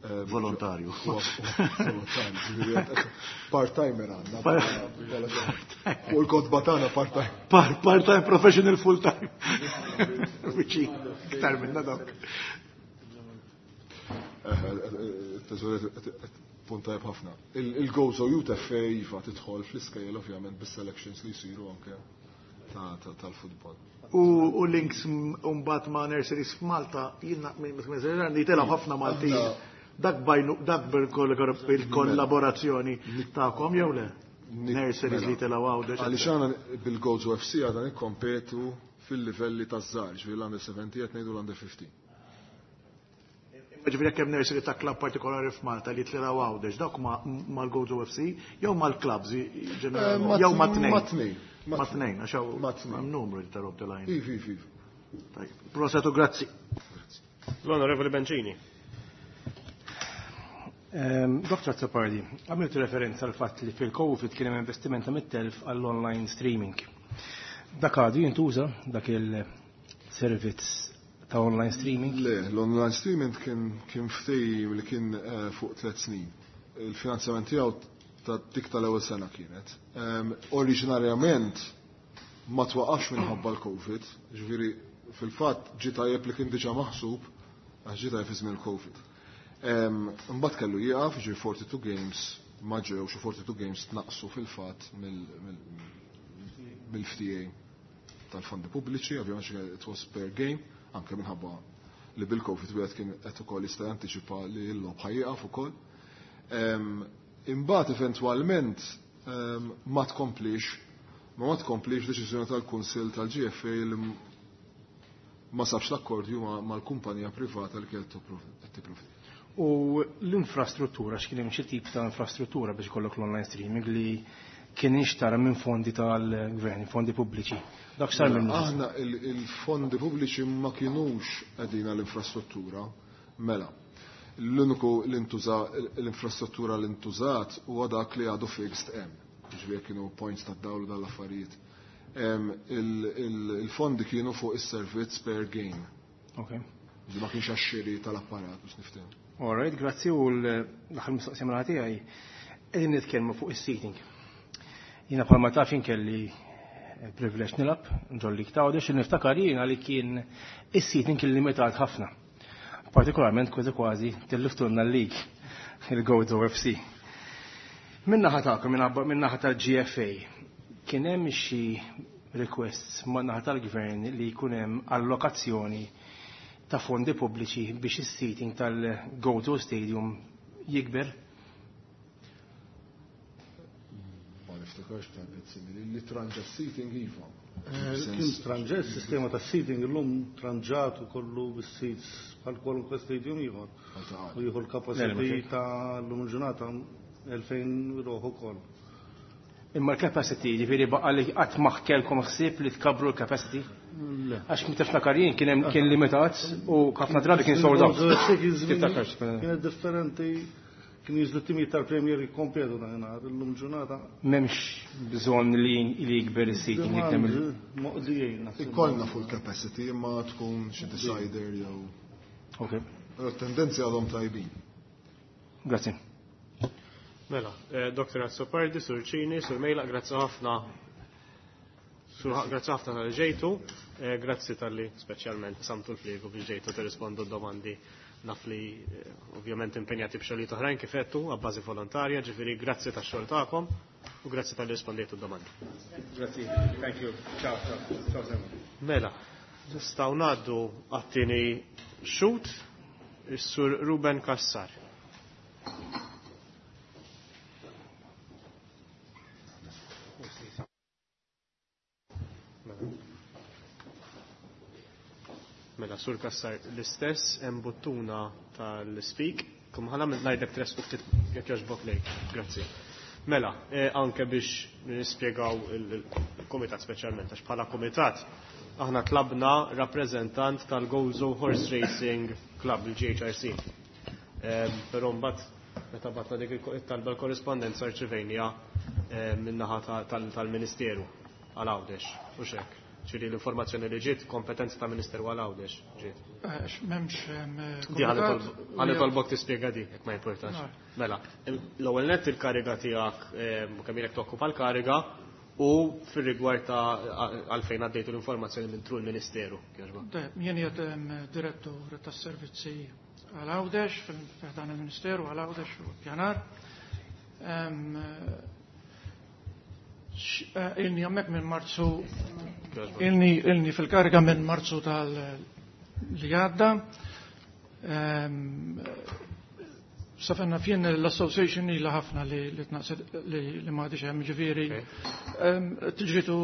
eh, Volontarju. Volontarju. Part-timer għandna. U l-kotba tagħna part-time. Part-time professional, full-time. Viċin, iktar minna dok. Teżoriet punt tajjeb ħafna. Il-Gozo Youth F A iva tidħol fl-iskejjel ovvjament bis-selections li jsiru anke tal-futbol. U links mbagħad ma' nurseries f'Malta, jiena li telgħu ħafna Maltin. Dak bajnu, dak bil-kollaborazzjoni tagħkom jew le? Nurseries li telgħu Għawdex. Għaliex għana bil-Gozo F C għadna nikkompetu fil-livelli taż-żgħar, ġifieri l-under seventeen qed ngħidu l-under fifteen. Ġifieri jekk hemm nursery ta' club partikolari f'Malta li telgħu Għawdex, dawk mal-Gozo F C jew mal-clubs ġenerali jew ma' tnejn? Ma' tnejn. Ma' tnejn, għax hawn numru li tarob the line. Ivi, ivi. Proset u grazzi. L-Onorevoli Bencini. Doktor Azzopardi, għamiltu referenza għal fatt li fil-Covid kien hemm investiment ta' mitt elf għall-online streaming. Dak għadu jintuża, dak il-servizz ta' online streaming? Le, l-online streaming kien kien ftehim li kien eh, fuq tliet snin. Il-finanzjament tiegħu ta' dik tal-ewwel sena kienet. Oriġinarjament ma twaqafx minħabba l-Covid, ġifieri fil-fatt ġie tajjeb li kien diġà maħsub għax ġie tajjeb fi żmien il-Covid. Imbagħad kellu jieqaf, ġifieri forty-two games ma ġewx u forty-two games tnaqsu fil-fatt mill-F T A tal-fondi pubbliċi, ovvjament it was per game, anke minħabba li bil-Covid wieħed kien qed ukoll jista' jantiċipa li l-logħob ħa jieqaf ukoll. Imbagħad eventwalment ma tkomplix ma ma tkomplix deċiżjoni tal-Kunsill tal-G F A li ma sabx l-akkordju mal-kumpanija privata li kienet tipprovdi. U l-infrastruttura, x'kien hemm xi tip ta' infrastruttura biex ikollok l-online streaming li kien inxtara minn fondi tal-gvern, fondi pubbliċi? Dak sar Mela, minn Aħna il-fondi pubbliċi ma kienux qegħdin l-infrastruttura, mela. L-uniku l-intuża l-infrastruttura li ntużat huwa dak li għadu fixed hemm. Ġifieri kienu points ta' dawl dal-affarijiet. Il-fondi kienu fuq is-servizz per game. Okay. Ġi ma kienx għax-xiri tal-apparat biex niftehmu. All right, grazzi, u l-aħħar mistoqsija minn tiegħi. Qegħdin nitkellmu fuq is-seating. Jiena bħalma taf kelli privileġġ nilgħab ġol-league ta' Għawdex, niftakar jiena li kien is-seating kien limitat ħafna. Partikolarment kważi kważi tilliftulna l-league il-Gozo F C. Min-naħa tagħkom, min-naħa tal-G F A, kien hemm xi requests man-naħa tal-gvern li jkun hemm allokazzjoni ta' fondi pubbliċi biex is-seating tal-Gozo Stadium jikber? Ma niftakarx talbiet simili. Li tranġa seating iva. Eh, Kien tranġa, il-sistema ta' seating illum tranġat u kollu bis-seats bħal kwalunkwe stadium ieħor. U jieħu l-capacity ta' l-lum il-ġurnata elfejn ruħ ukoll. Imma l-capacity, ġifieri baqa li qatt ma kellkom ħsieb li tkabru l-capacity? Le. Għax kien tiftakar jien kien hemm kien limitat u ħafna drabi kien sold out. Tiftakarx. Kienet differenti, Kien jiżlu timijiet tal-Premier jikkompetu dakinhar, illum ġurnata. M'hemmx bżonn li li jikber is-seating jekk moqdijin. Ikollna full capacity imma tkun xi decider jew. Ok. Però tendenzi għadhom tajbin. Grazzi. Mela, Doktor Azzopardi, Sur Cini, Sur Mejla, grazzi ħafna. Grazzi ħafna tal ġejtu, grazzi tal-li speċjalment samtu l-fliegu biex ġejtu tirrispondu d-domandi. Naf li ovvjament impenjati b'xogħlijiet oħrajn kif għedtu għabbażi volontarja, ġifieri grazzi tax-xogħol tagħkom u grazzi tal-li rispondejtu d-domandi. Grazzi, thank you. Ciao, ciao. Ciao. Mela, nistgħu ngħaddu għat-tieni xut, is-Sur Ruben Kassar. Mela, Sur Kassar, l-istess hemm buttuna tal-speak, kum ħana ngħidlek tres ftit jekk jogħġbok lejk. Grazzi. Mela, eh, anke biex nispjegaw il-komitat speċjalment, għax bħala komitat aħna tlabna rappreżentant tal-Gozo Horse Racing Club, il-G H R C. Eh, però mbagħad meta batna dik it-talba l-korrispondenza rċivejnija eh, min-naħa tal-Ministeru għal Għawdex, u xek. Ċiri l-informazzjoni li ġiet, kompetenza ta' Ministeru għal Għawdex ġiet. M'hemmx. Di ħalli tolbok tispjega di, jekk ma jimportax. Mela, l-ewwel nett il-kariga tiegħek kemm ilek tokkupa l-kariga u fir-rigward ta' għalfejn għaddejtu l-informazzjoni minn tru l-Ministeru. Jien qiegħed direttur tas-servizzi għal Għawdex fil-dan il-Ministeru għal Għawdex u pjanar. Ilni hemmhekk minn Marzu, ilni ilni fil-kariga minn Marzu tal li għadda. Safenna fien l-association ila ħafna li li li ma għadix hemm, ġifieri tiġritu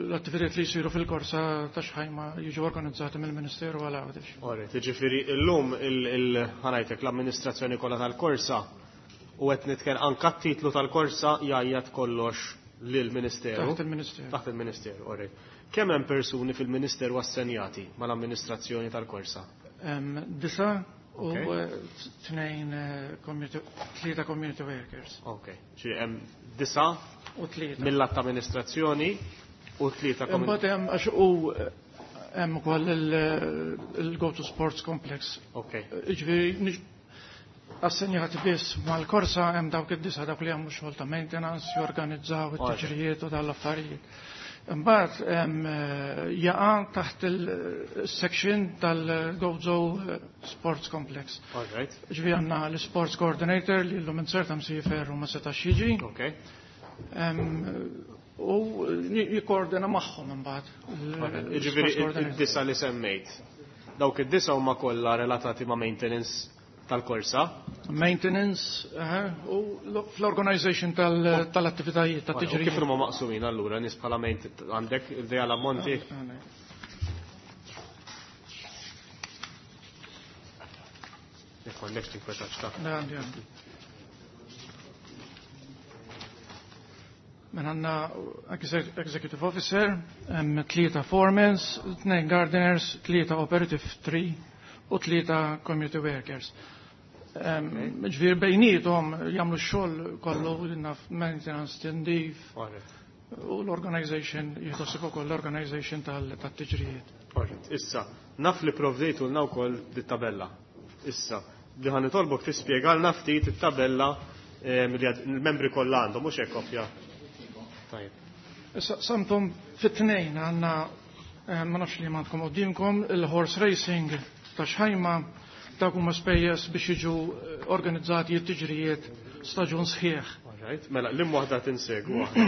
l-attivitajiet li jsiru fil-korsa ta' Xħajma jiġu organizzati mill-Ministeru għal Għawdex. Alright, ġifieri illum il-ħanajtek l-amministrazzjoni kollha tal-korsa u qed nitkellem anke t-titlu tal-korsa jgħajjat kollox lill-Ministeru. Taħt il-Ministeru. Taħt il-Ministeru, alright. Kemm hemm persuni fil-Ministeru assenjati mal-amministrazzjoni tal-korsa? Disa u tnejn tlieta community workers. Ok, ġifieri hemm disa u tlieta mill-att amministrazzjoni u tlieta community. Imbagħad hemm għax u hemm ukoll il-Go to Sports Complex. Ok. Ġifieri assenjati biss mal-korsa hemm dawk id-disa dawk li jagħmlu xogħol ta' maintenance, jorganizzaw it-tiġrijiet u dawn l-affarijiet. Imbagħad hemm jaqa' taħt il-section tal-Gozo Sports Complex. All right. Ġifieri għandna l-Sports Coordinator li llum inserta msiefer u ma setax jiġi. Ok. U jikkoordina magħhom imbagħad. Ġifieri id-disa li semmejt. Dawk id-disa huma kollha relatati ma' maintenance tal-korsa. Maintenance, u fl-organization tal-attivitajiet, tat-tiġrijiet. Kif huma maqsumin allura nies bħala maintenance għandek idea l-ammonti? Jekk m'għandekx tinkwetax ta'. Le, għandi, għandi. Mela għandna executive officer, hemm tlieta foremans, tnejn gardeners, tlieta operative three u tlieta community workers. Ġifieri bejniethom jagħmlu x-xogħol kollu naf maintenance, tindif u l-organization jieħdu ukoll l-organization tat-tiġrijiet. Issa, naf li provdejtulna wkoll dit-tabella. Issa, li ħa nitolbok tispjegalna ftit it-tabella li l-membri kollha għandhom, mhux hekk kopja. Tajjeb. Issa samtom fit-tnejn għandna ma nafx li m'għandkom qudiemkom il-horse racing ta' Xħajma dawk huma spejjeż biex jiġu organizzati t-tiġrijiet staġun sħiħ. Alright, mela l-im waħda tinsegwu aħna.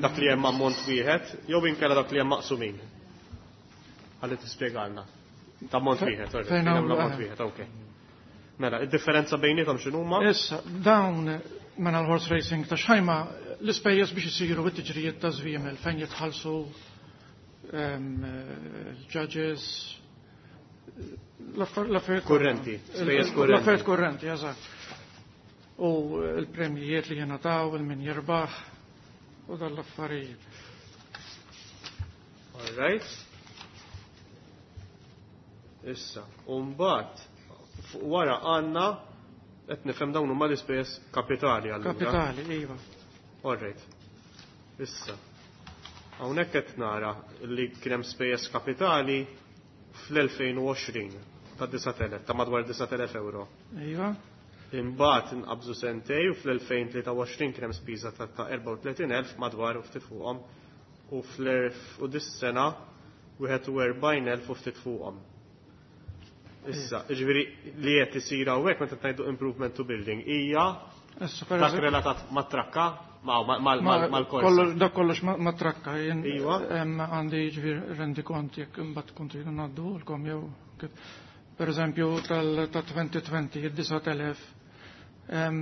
Dak li hemm ammont wieħed jew inkella dak li hemm maqsumin. Ħalli tispjegalna. Ta' ammont wieħed, fejn hemm ammont wieħed, okej. Mela, id-differenza bejniethom x'inhuma? Issa, dawn mela l-horse racing ta' Xħajma l-ispejjeż biex isiru t-tiġrijiet ta' żwiemel fejn jitħallsu l-judges, l-affarijiet kurrenti, spejjeż kurrenti. L-affarijiet kurrenti, eżatt. U l-premjijiet li jingħataw, il-min jirbaħ u dan l-affarijiet. All right. Issa, u mbagħad wara għandna Qed nifhem dawn huma l-ispejjeż kapitali allura. Kapitali, iva. All right. Issa. Hawnhekk qed nara li kien hemm spejjeż kapitali fl-elfejn u għoxrin ta' disat elef, ta' madwar disat elef euro. Iva. Imbagħad inqabżu sentej u fl-elfejn tlieta u għoxrin kien hemm spiża ta', ta' erbgħa u tletin elf madwar u ftit fuqhom u fl-erf u dis-sena wieħed u erbgħin elf u ftit fuqhom. Issa, jiġifieri li qed isir hawnhekk meta ngħidu improvement to building hija Issa, per dak eżempju- relatat mat-trakka, ma-, ma-, ma-, Ma- mal-korsa. kollox- Dak kollox ma-, ma trakka, jien Iva. hemm għandi jiġifieri rendi kont jekk imbagħad kont tridu ngħadduhulkom jew kif. Per eżempju tal ta' twenty twenty, id-disat elef, em,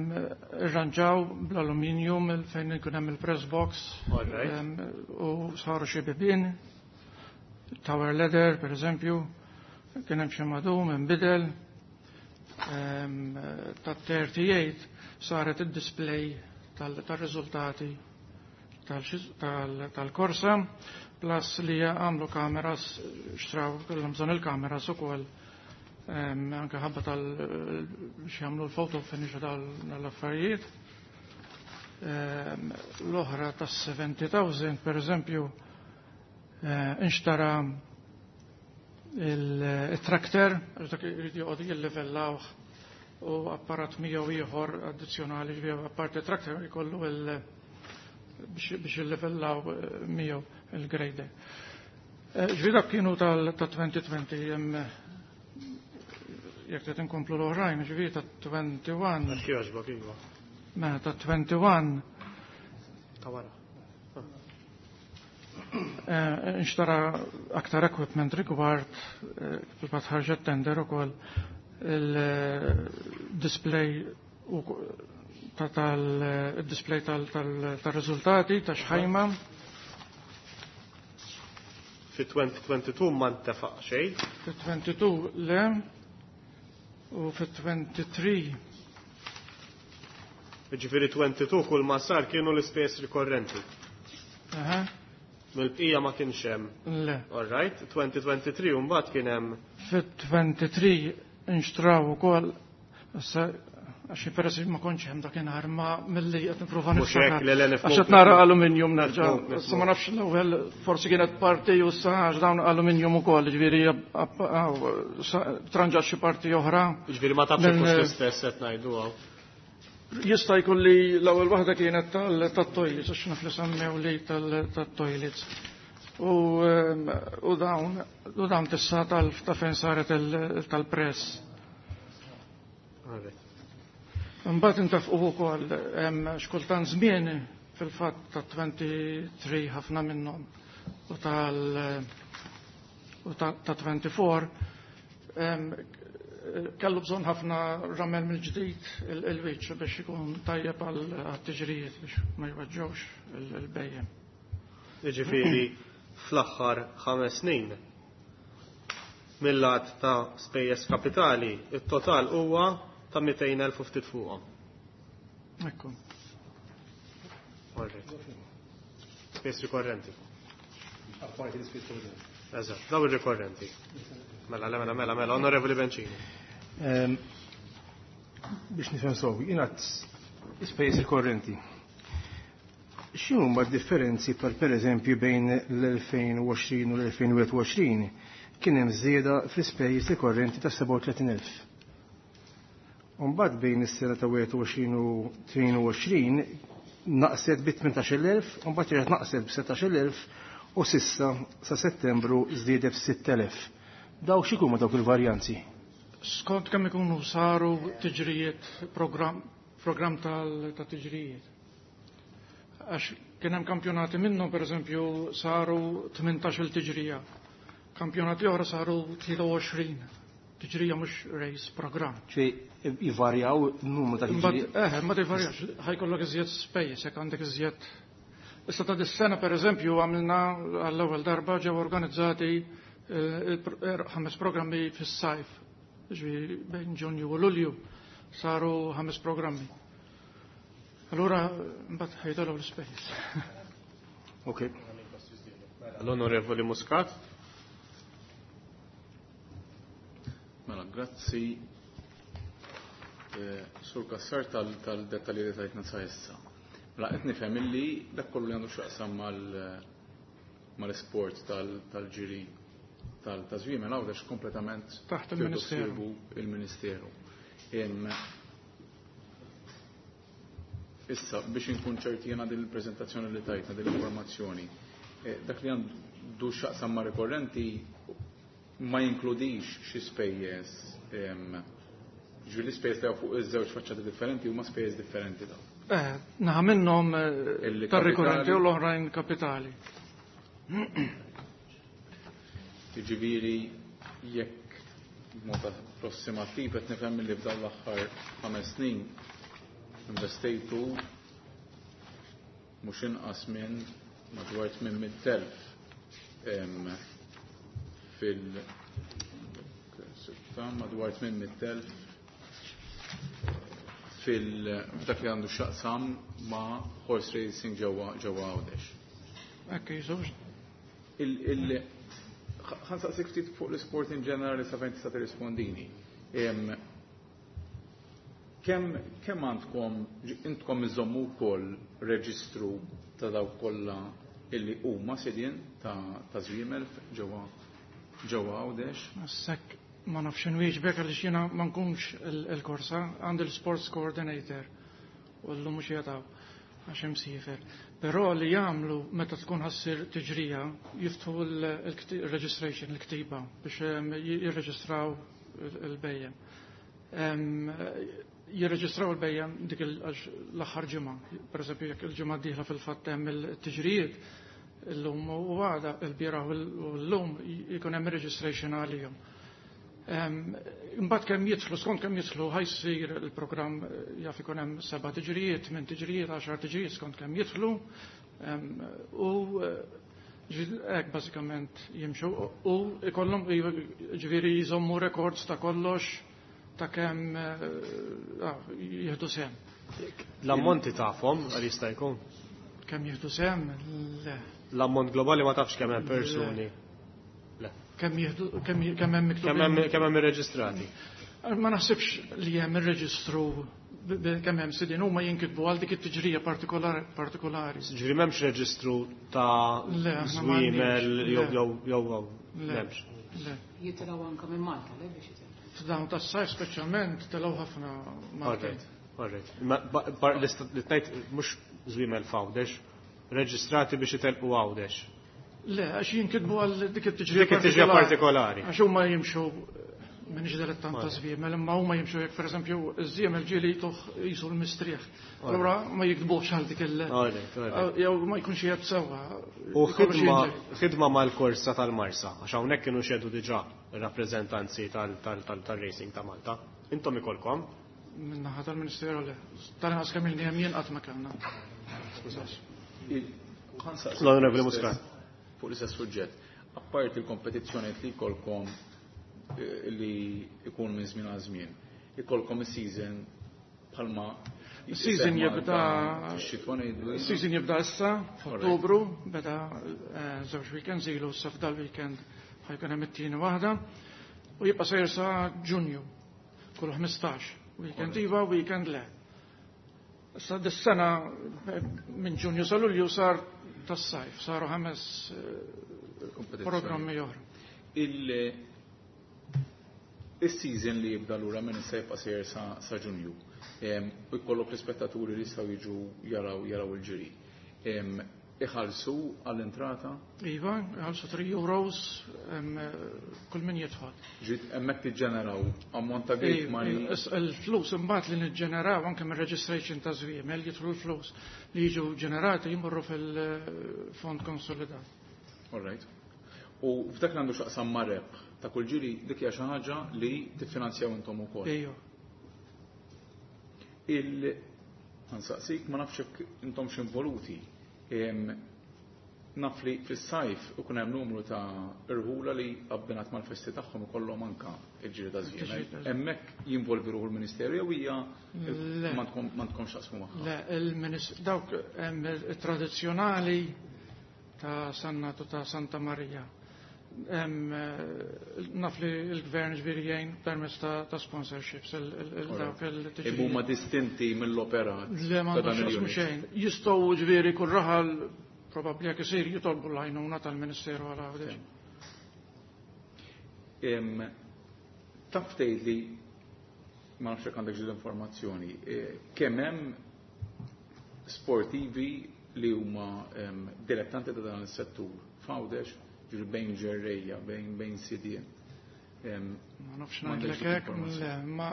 irranġaw bl-aluminium il fejn ikun hemm il-press box, All right. em, u saru xi bibien, tower ladder per eżempju, kien hemm xi madum inbidel. Em, ta' thirty-eight saret id-display tal-, tal-riżultati tal-, tal-, tal-korsa, plus li għamlu kameras, xtraw kellhom bżonn il-kameras ukoll, em, anke ħabba tal biex jagħmlu l-photo finish tal-affarijiet. Em, l-oħra tas seventy thousand, per eżempju, eh, inxtara il-trakter, għax dak irid joqgħod jillivellawh u apparat miegħu ieħor addizzjonali, ġifieri apparti trakter jkollu il- biex, biex jillivellaw, eh, miegħu il-grader. Eh, ġifieri dak kienu tal-, ta' twenty twenty, hemm jekk trid inkomplu l-oħrajn, ġifieri ta' twenty-one. Għax jogħġbok, iva. Mela ta' twenty-one. Ta' wara. Eh, nxtara aktar equipment rigward, eh, fil-fatt ħarġet tender ukoll il-display u ta' tal-display tal-, tal-, tal-riżultati ta' xħajma. Fi twenty twenty-two ma ntefaq xejn. Fi twenty-two le, u fi twenty-three. Jiġifieri twenty-two kull ma sar kienu l-ispejjeż rikorrenti. Aha. Mill-bqija ma kienx hemm. Le. All right, twenty twenty-three u mbagħad kien hemm. Fi twenty-three inxtraw ukoll, issa għax peress ma kontx hemm dakinhar ma milli qed nipprova Mhux hekk, niftakar. le, le, nifhmu. Għax qed nara aluminium nerġa'. Nifhmu, nifhmu. Issa ma nafx l-ewwel forsi kienet parti u issa għax dawn aluminium ukoll, jiġifieri app-, aw, sa-, tranġat xi parti oħra. Jiġifieri ma tafx Minn, hekk hux l-istess qed ngħidu hawn. Jista' jkun li l-ewwel waħda kienet tal-, tat-toilets, għax naf li semmew li tal-, tat-toilets. U, ehm, u dawn, u dawn tissa tal-, ta' fejn saret il-, tal-press. Alright. Imbagħad intafqu wkoll hemm xkultant żmien fil-fatt ta' twenty-three ħafna minnhom u tal u ta', ta' twenty-four, ehm, kellu bżonn ħafna ramel mill-ġdid il-, il-wiċċ biex ikun tajjeb għal għat-tiġrijiet biex ma jweġġewx il-, il-bejjem. Jiġifieri fl-aħħar ħames snin mill-lat ta' spejjeż kapitali, it-total huwa ta' mitejn elf u ftit fuqhom. Ekku. All right. Spejjeż rikorrenti. Apparti l-ispejjeż kapitali. Eżatt, daw ir-rikorrenti. Mela, mela, mela, mela, Onorevoli Bencini. Ehm, biex nifhem sew, jingħad ispejjeż rikorrenti. X'inhuma d-differenzi per, per eżempju bejn l-elfejn u għoxrin u l-elfejn u wieħed u għoxrin kien hemm żieda fl-ispejjeż rikorrenti ta' sebgħa u tletin elf. U mbagħad bejn is-sena ta' wieħed u għoxrin u tnejn u għoxrin naqset bi tmintax-il elf, u mbagħad reġgħet naqset b'setax-il elf u sissa sa Settembru żdiedet b'sitt elef. Daw x'ikunu dawk il-varjanzi? Skont kemm ikunu saru tiġrijiet, program, program tal-, ta' tiġrijiet. Għax kien hemm kampjonati minnhom, pereżempju, saru tmintax-il tiġrija. Kampjonati oħra saru tlieta u għoxrin. Tiġrija mhux race program. Ċej jivarjaw n-numru ta' Imbagħad, tiġrijiet? eh, ma tivarjax, ħajkollok iżjed spejjeż jekk għandek iżjed. Issa ta' dis-sena pereżempju għamilna għall-ewwel darba ġew organizzati, eh, il-pro-, er, ħames programmi fis-sajf. Ġifieri bejn Ġunju u Lulju saru ħames programmi. Allura mbagħad ħajtolgħu l-ispejjeż. Ok. L-Onorevoli Muscat. Mela, grazzi. eh, Sur Kassar tal-dettalji li tajtna sa issa. Mela qed nifhem illi dak kollu li għandu x'jaqsam mal-isport tal-ġiri tal-żwiemel Għawdex kompletament taħt il-Ministeru. Il-Ministeru. Issa, biex inkun ċerti jena din il-prezentazzjoni li tajtna, din l-informazzjoni, eh, dak li għandu x'jaqsam ma' rikorrenti ma jinkludix xi spejjeż, ġifieri l-ispejjeż li fuq iż-żewġ faċċati differenti huma spejjeż differenti dawn. Eh, naħa minnhom eh, tar-rikorrenti u l-oħrajn kapitali. Jiġifieri jekk b'mod approssimattiv qed nifhem li f'dawn l-aħħar ħames snin investejtu mhux inqas minn madwar tmien mitt elf fil madwar tmien mitt elf fil f'dak li għandu x'jaqsam ma' horse racing ġewwa ġewwa Għawdex. Hekk jiżux. Il il ħa nsaqsik ftit fuq l-isport in ġenerali sa fejn tista' tirrispondini. Kemm kemm għandkom intkom iżommu wkoll reġistru ta' dawk kollha illi huma sidien ta' ta' żwiemel ġewwa ġewwa Għawdex? Sekk ma nafx inwieġbek għaliex jiena ma nkunx il-korsa, għandi l-sports coordinator u llum mhux jataw għax imsiefer. Però li jagħmlu meta tkun ħassir tiġrija jiftħu il-registration, il-ktiba biex jirreġistraw il-bejjem. Jirreġistraw il-bejjem dik l-aħħar ġimgħa. Pereżempju jekk il-ġimgħa d-dieħla fil-fatt hemm il-tiġrijiet, illum u għada il-bieraħ u llum jkun hemm registration għalihom. Imbagħad kemm jidħlu, skont kemm jidħlu ħajsir il-programm, jaf ikun hemm seba' tiġrijiet, tmien tiġrijiet, għaxar tiġrijiet skont kemm jidħlu. U hekk bażikament jimxu u ikollhom ġifieri jżommu records ta' kollox ta' kemm jieħdu sehem. L-ammonti tafhom għal jista' jkun? Kemm jieħdu sehem? Le. L-ammont globali ma tafx kemm hemm persuni. Le. Kemm jieħdu, kemm kemm hemm miktubin? Kemm hemm, kemm hemm irreġistrati? Ma naħsibx li hemm irreġistru kemm hemm sidien huma jinkitbu għal dik it-tiġrija partikolari. Ġifieri m'hemmx reġistru ta' żwiemel jew jew jew m'hemmx. Le. Jitilgħu anke minn Malta, le biex jitilgħu. F'dawn tas-sajf speċjalment telgħu ħafna Malta. Alright, alright. Li tgħid mhux żwiemel f'Għawdex, reġistrati biex itelqu Għawdex. Le, għax jinkitbu għal dik it-tiġrija Dik it-tiġrija partikolari. Għax huma jimxu minn dilettant ta' żwiemel, imma huma jimxu jekk pereżempju iż-żwiemel ġieli jtuh jisu l-mistrieħ. Allura ma jiktbux għal dik il- jew ma jkunx qiegħed sewwa. U ħidma ħidma mal-korsa tal-Marsa, għax hawnhekk kienu xedu diġà ir-rappreżentanzi tal-racing ta' Malta. Intom ikolkom? Min-naħa tal-Ministeru le. Tal-inqas kemm ilni hemm jien qatt ma kellna. L-Onorevoli Muscat. Fuq l-istess suġġett, apparti il-kompetizzjoni li jkollkom li ikun minn żmien għal żmien, ikolkom is-season bħalma Is-season jibda fix-xitwa ngħidu. Is-season jibda issa f'Ottubru, beda żewġ weekends ilu issa f'dal-weekend ħajkun hemm it-tieni waħda u jibqa' sejjer sa Ġunju kull ħmistax. Weekend iva, weekend le. Issa dis-sena minn Ġunju sa Lulju sar tas-sajf, saru ħames programmi oħra. Il-season li jibda lura minn issa jibqa' sejjer sa Ġunju. U jkollok l-ispettaturi li jistgħu jiġu jaraw jaraw il-ġiri. Iħallsu għall-entrata? Iva, iħallsu three euros kull min jidħol. Ġiet hemmhekk tiġġeneraw ammont ta' gate money. Il-flus imbagħad li niġġeneraw anke mir-registration ta' żwiemel jidħlu l-flus li jiġu ġenerati jmorru fil-fond konsolidat. All right. U f'dak li għandu x'aqsam ma' rebħ ta' kull ġiri dik hija xi ħaġa li tiffinanzjaw intom ukoll. Ejja. Il ħansaqsik ma nafx jekk intom x'involuti. Naf li fis-sajf ikun hemm numru ta' irħula li abbinat mal-festi tagħhom ikollhom anka il-ġiri ta' żwiemel. Hemmhekk jinvolvi ruħu l-Ministeru jew hija m'għandkomx taqsmu magħha? Le, il-Ministru dawk hemm it-tradizzjonali ta' Sannatu ta' Santa Marija. Naf li l-gvern ġifieri jgħin permezz ta' sponsorships il-dawk il-tiġrijiet. Huma distinti mill-operat. Le m'għandhom x'jaqsmu xejn. Jistgħu ġifieri kull raħal probabbli jekk isir jitolbu l-għajnuna tal-Ministeru għal Għawdex. Taf tgħidli, ma nafx jekk għandek l-informazzjoni, kemm hemm sportivi li huma dilettanti ta' dan is-settur f'Għawdex, ġifieri bejn ġerrejja, bejn bejn sidien. Ma nafx ngħidlek hekk, le, ma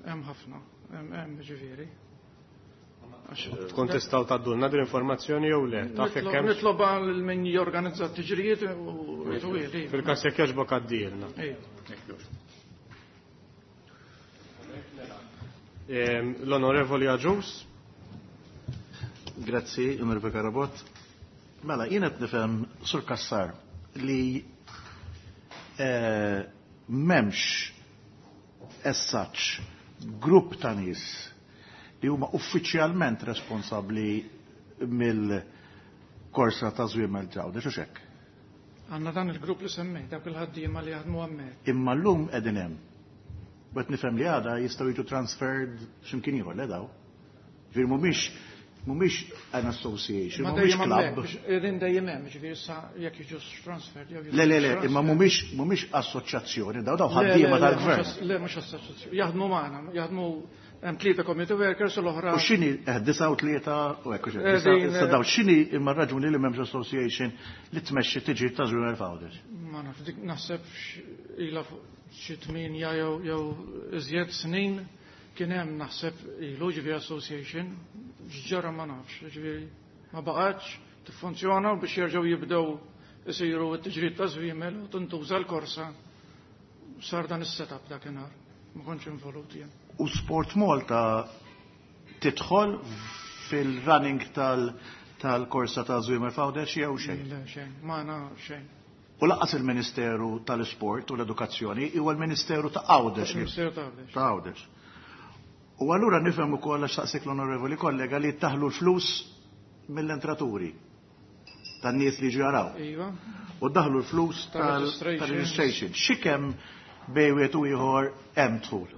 hemm ħafna, hemm ġifieri. Tkun tistgħu tgħaddulna din l-informazzjoni jew le? Taf jekk hemm? Nitlob għal min jorganizza t-tiġrijiet u jtuwieli. Fil-każ jekk jogħġbok għaddilna. L-Onorevoli Agius. Grazzi, Onorevoli Carabott. Mela, jien qed nifhem Sur Cassar li m'hemmx as such grupp ta' nies li huma uffiċjalment responsabbli mill-korsa ta' żwiemel Għawdex, u x'hekk? Għandna dan il-grupp li semmejt, dawk il-ħaddiema li jaħdmu hemmhekk. Imma llum qegħdin hemm. Bet nifhem li għada jistgħu jiġu transferred x'imkien ieħor, le daw. Ġifieri mhumiex mhumiex an association, mhumiex club. Qegħdin dejjem hemm, ġifieri issa jekk jiġu transferred jew Le, le, le, imma mhumiex mhumiex assoċjazzjoni, daw daw ħaddiema tal-gvern. Le, mhux assoċjazzjoni. Jaħdmu magħna, jaħdmu hemm tlieta community workers u l-oħra. U x'inhi disa' u tlieta u hekk issa daw x'inhi imma raġuni li m'hemmx association li tmexxi tiġi ta' żwiemel f'Għawdex? Ma naf, dik naħseb ilha xi tmienja jew jew iżjed snin kien hemm naħseb ilu ġifieri association, ġara ma nafx, ġifieri ma baqgħetx tiffunzjona u biex jerġgħu jibdew isiru t-tiġrid ta' żwiemel u tintuża l-korsa sar dan is-setup dakinhar. Ma kontx involut jien. U Sport Malta tidħol fil-running tal-korsa ta' żwiemel f'Għawdex jew xejn? Le, xejn, ma xejn. U lanqas il-Ministeru tal-Isport u l-Edukazzjoni huwa l-Ministeru ta' Għawdex. Il-Ministeru ta' Għawdex. Ta' Għawdex. U allura nifhem ukoll għax saqsik l-onorevoli kollega li taħlu l-flus mill-entraturi tan-nies li ġaraw. Iva. U daħlu l-flus tal-registration. Xi kemm bejn wieħed u ieħor hemm dħul?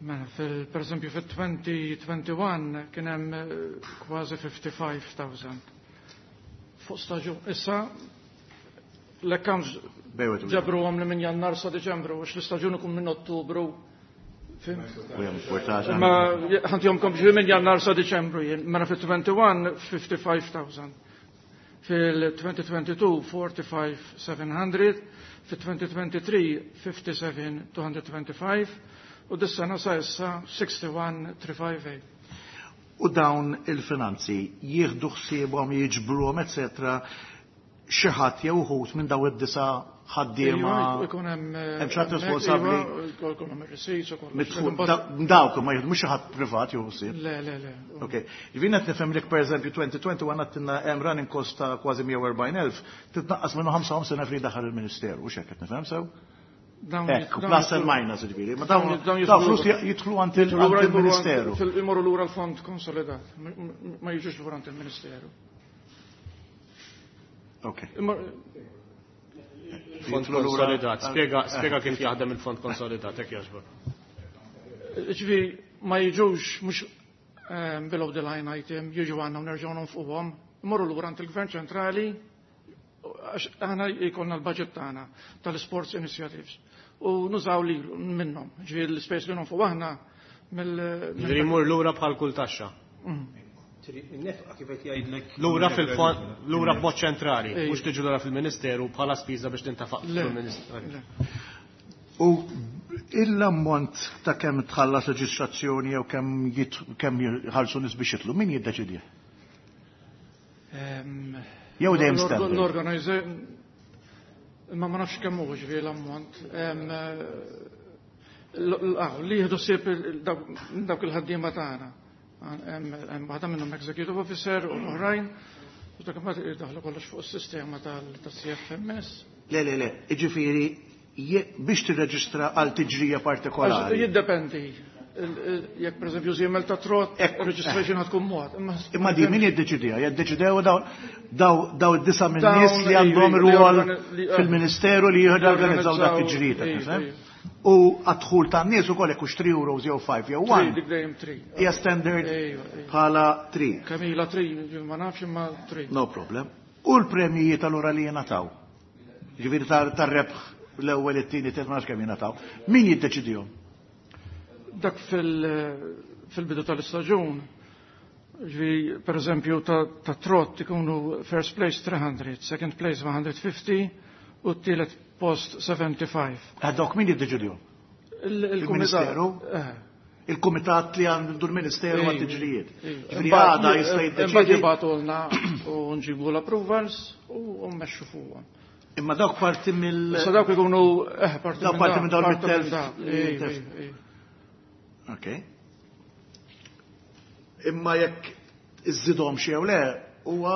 Mela, fil, per esempio fil-twenty twenty-one kien hemm kważi fifty-five thousand. Fuq staġun. Issa l-accounts ġabruhom li minn Jannar sa Deċembru, għax l-istaġun ikun minn Ottubru. Ma ħantihomkom ġifieri minn Jannar sa Deċembru jien. Mela fil-twenty-one fifty-five thousand. Fil-twenty twenty-two forty-five seven hundred, fil-twenty twenty-three fifty-seven two hundred twenty-five, u dis-sena sa issa sixty-one three five eight. U dawn il-finanzi jieħdu ħsiebhom, jiġbruhom, eċetera, xi ħadd jew uħud minn dawn id-disa' ħaddiema. Ikun hemm hemm xi ħadd responsabbli. Ikun hemm ir-receipts u kollox. Dawk ma jieħdu mhux xi ħadd privat jew ħsieb. Le, le, le. Okej. Ġifieri qed nifhem li pereżempju twenty twenty-one għandna hemm running cost ta' kważi mija u erbgħin elf, titnaqqas minnu ħamsa u ħamsin elf li jdaħħal il-Ministeru, u x'hekk qed nifhem sew? Ekku, plus and minus, ġifieri. Ma dawn flus jidħlu għand il-Ministeru. Imorru lura l-fond konsolidat, ma jiġux lura għand il-Ministeru. Ok. Fond konsolidat, spjega kif jaħdem il-fond konsolidat, hekk jogħġbok. Ġifieri ma jiġux mhux below the line item, jiġu għandna u nerġgħu nonfquhom, imorru lura għand il-Gvern ċentrali, għax aħna jkollna l-budget tagħna tal-sports initiatives. U nużaw li minnhom, ġifieri l-ispejs li nonfqu aħna mill. Ġifieri jmur lura bħal kull taxxa. Nefqa kif qed jgħidlek. Lura fil-fond, lura b'mod ċentrali, mhux tiġu lura fil-Ministeru bħala spiża biex tintafaq fil-Ministeru. U l-ammont ta' kemm tħallas reġistrazzjoni jew kemm kemm jħallsu nies biex jitlu, min jiddeċidih? Jew dejjem standard. L-organizer ma ma nafx kemm hu ġifieri l-ammont. Li jieħdu ħsieb dawk il-ħaddiema tagħna. Hemm waħda minnhom executive officer u l-oħrajn, u dak imbagħad jiddaħlu kollox fuq is-sistema tal-C F M S. Le, le, le, jiġifieri biex tirreġistra għal tiġrija partikolari. Jiddependi. Jekk pereżempju żiemel ta' trot, registration ħad tkun mod. Imma di min jiddeċidiha? Jiddeċidew daw daw id-disa' minn nies li għandhom rwol fil-Ministeru li jorganizzaw dak il-ġrida. U għad-dħul tan-nies ukoll jekk hux three euros jew five jew one. Dik dejjem three. Hija standard bħala three. Kemm ilha three, ma nafx imma three. No problem. U l-premjijiet allura li jingħataw? Ġifieri tar-rebħ l-ewwel, it-tieni, tliet, ma nafx kemm jingħataw. Min jiddeċidihom? Dak fil-bidu tal-istaġun, ġifieri per eżempju ta' trot ikunu first place three hundred, second place one hundred fifty u t-tielet post seventy-five. Dawk min jiddeċidihom? Il-Ministeru? Il-Kumitat li għandu l-Ministeru għat-tiġrijiet. Ġifieri għada jista' jiddeċidi. Imbagħad jibgħatulna u nġibu l-approvals u mmexxu fuqhom. Imma dawk parti mill. Issa dawk ikunu eh parti minn parti minn dawn mit-telf. Ok. Imma jekk iżidhom xi jew le huwa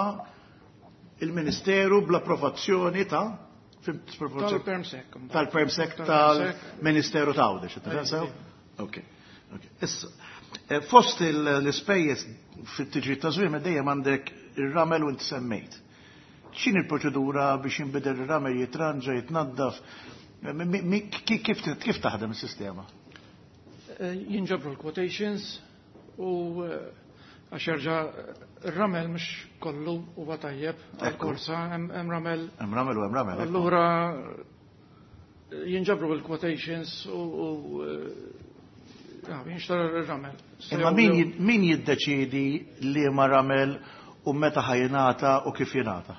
il-Ministeru bl-approvazzjoni ta' tal-Permsec. Tal-Permsec tal-Ministeru ta' Għawdex, tifhem sew? Ok. Issa, fost l-ispejjeż fit-tiġrid ta' żwiem dejjem għandek ir-ramel u inti semmejt. X'inhi l-proċedura biex jinbidel ir-ramel, jitranġa, jitnaddaf? Kif taħdem is-sistema? Jinġabru l-quotations u għax jerġa' ir-ramel mhux kollu huwa tajjeb għall-korsa, hemm ramel. Hemm ramel u hemm ramel. Allura jinġabru l-quotations u jinxtara r-ramel. Imma min jiddeċiedi liema ramel u meta ħa jingħata u kif jingħata?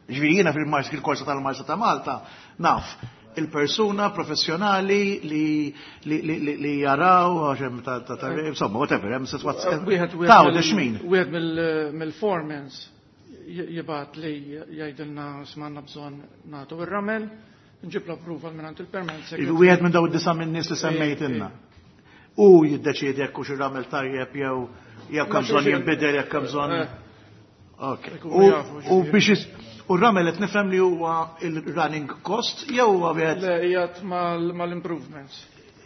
Ġifieri jiena fil-Marsa, fil-korsa tal-Marsa ta' Malta, naf il-persuna professjonali li li li li jaraw għax hemm ta' ta' insomma whatever hemm sitwazzjoni. Ta' għawdex min? Wieħed mill-foremans jibgħat li jgħidilna smanna bżonn nagħtu ir-ramel, nġib l-approval minn il-permess. Wieħed minn dawn id-disa' min-nies li semmejtilna. U jiddeċiedi jekk hux ir-ramel tajjeb jew jekk hemm bżonn jinbidel, jekk hemm bżonn. Ok. U biex u r-ramel qed nifhem li huwa il-running cost jew huwa wieħed. Le, qiegħed mal-improvements.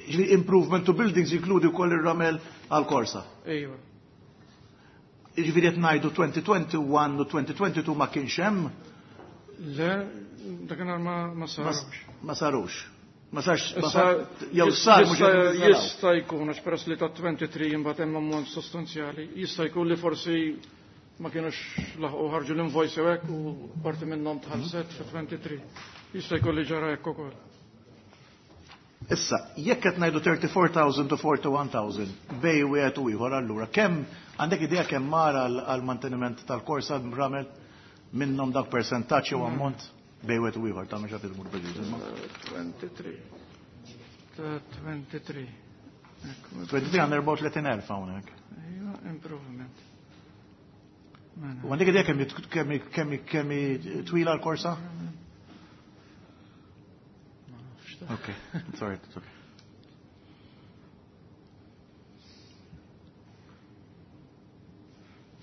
Ġifieri improvement to buildings jinkludi wkoll ir-ramel għall-korsa. Ejwa. Ġifieri qed ngħidu twenty twenty-one u twenty twenty-two ma kienx hemm? Le, dakinhar ma sarux. Ma sarux. Ma sarx, jew sar mhux qed jista' jkun għax peress li ta' twenty-three imbagħad hemm ammont sostanzjali, jista' jkun li forsi ma kienux laħqu ħarġu l-invoice jew hekk u parti minnhom tħallset fi twenty-three. Jista' jkun li ġara hekk ukoll. Issa, jekk qed ngħidu thirty-four thousand to forty-one thousand bej wieħed u ieħor allura kemm għandek idea kemm mar għal manteniment tal-korsa ramel minnhom dak persentaġġ jew ammont bej wieħed u ieħor ta' mhux qed imur bil-ġid. twenty-three. twenty-three. twenty-three għandna erbgħa u tletin elf hawnhekk. Ejwa, improvement. U għandek idea kemm kemm kemm twila l-korsa? Okay, sorry, it's okay.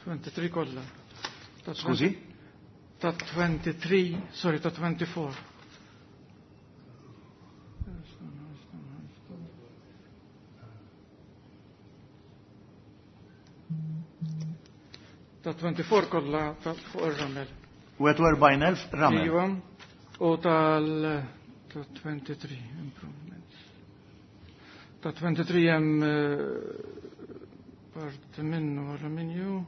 twenty-three kollha. Skużi? Ta' twenty-three, sorry, ta' twenty-four. Ta' twenty-four kollha ta' fuq ir-ramel. Wieħed u erbgħin elf ramel. Iva, u tal ta' twenty-three improvements. Ta' twenty-three hemm parti minnu alluminju.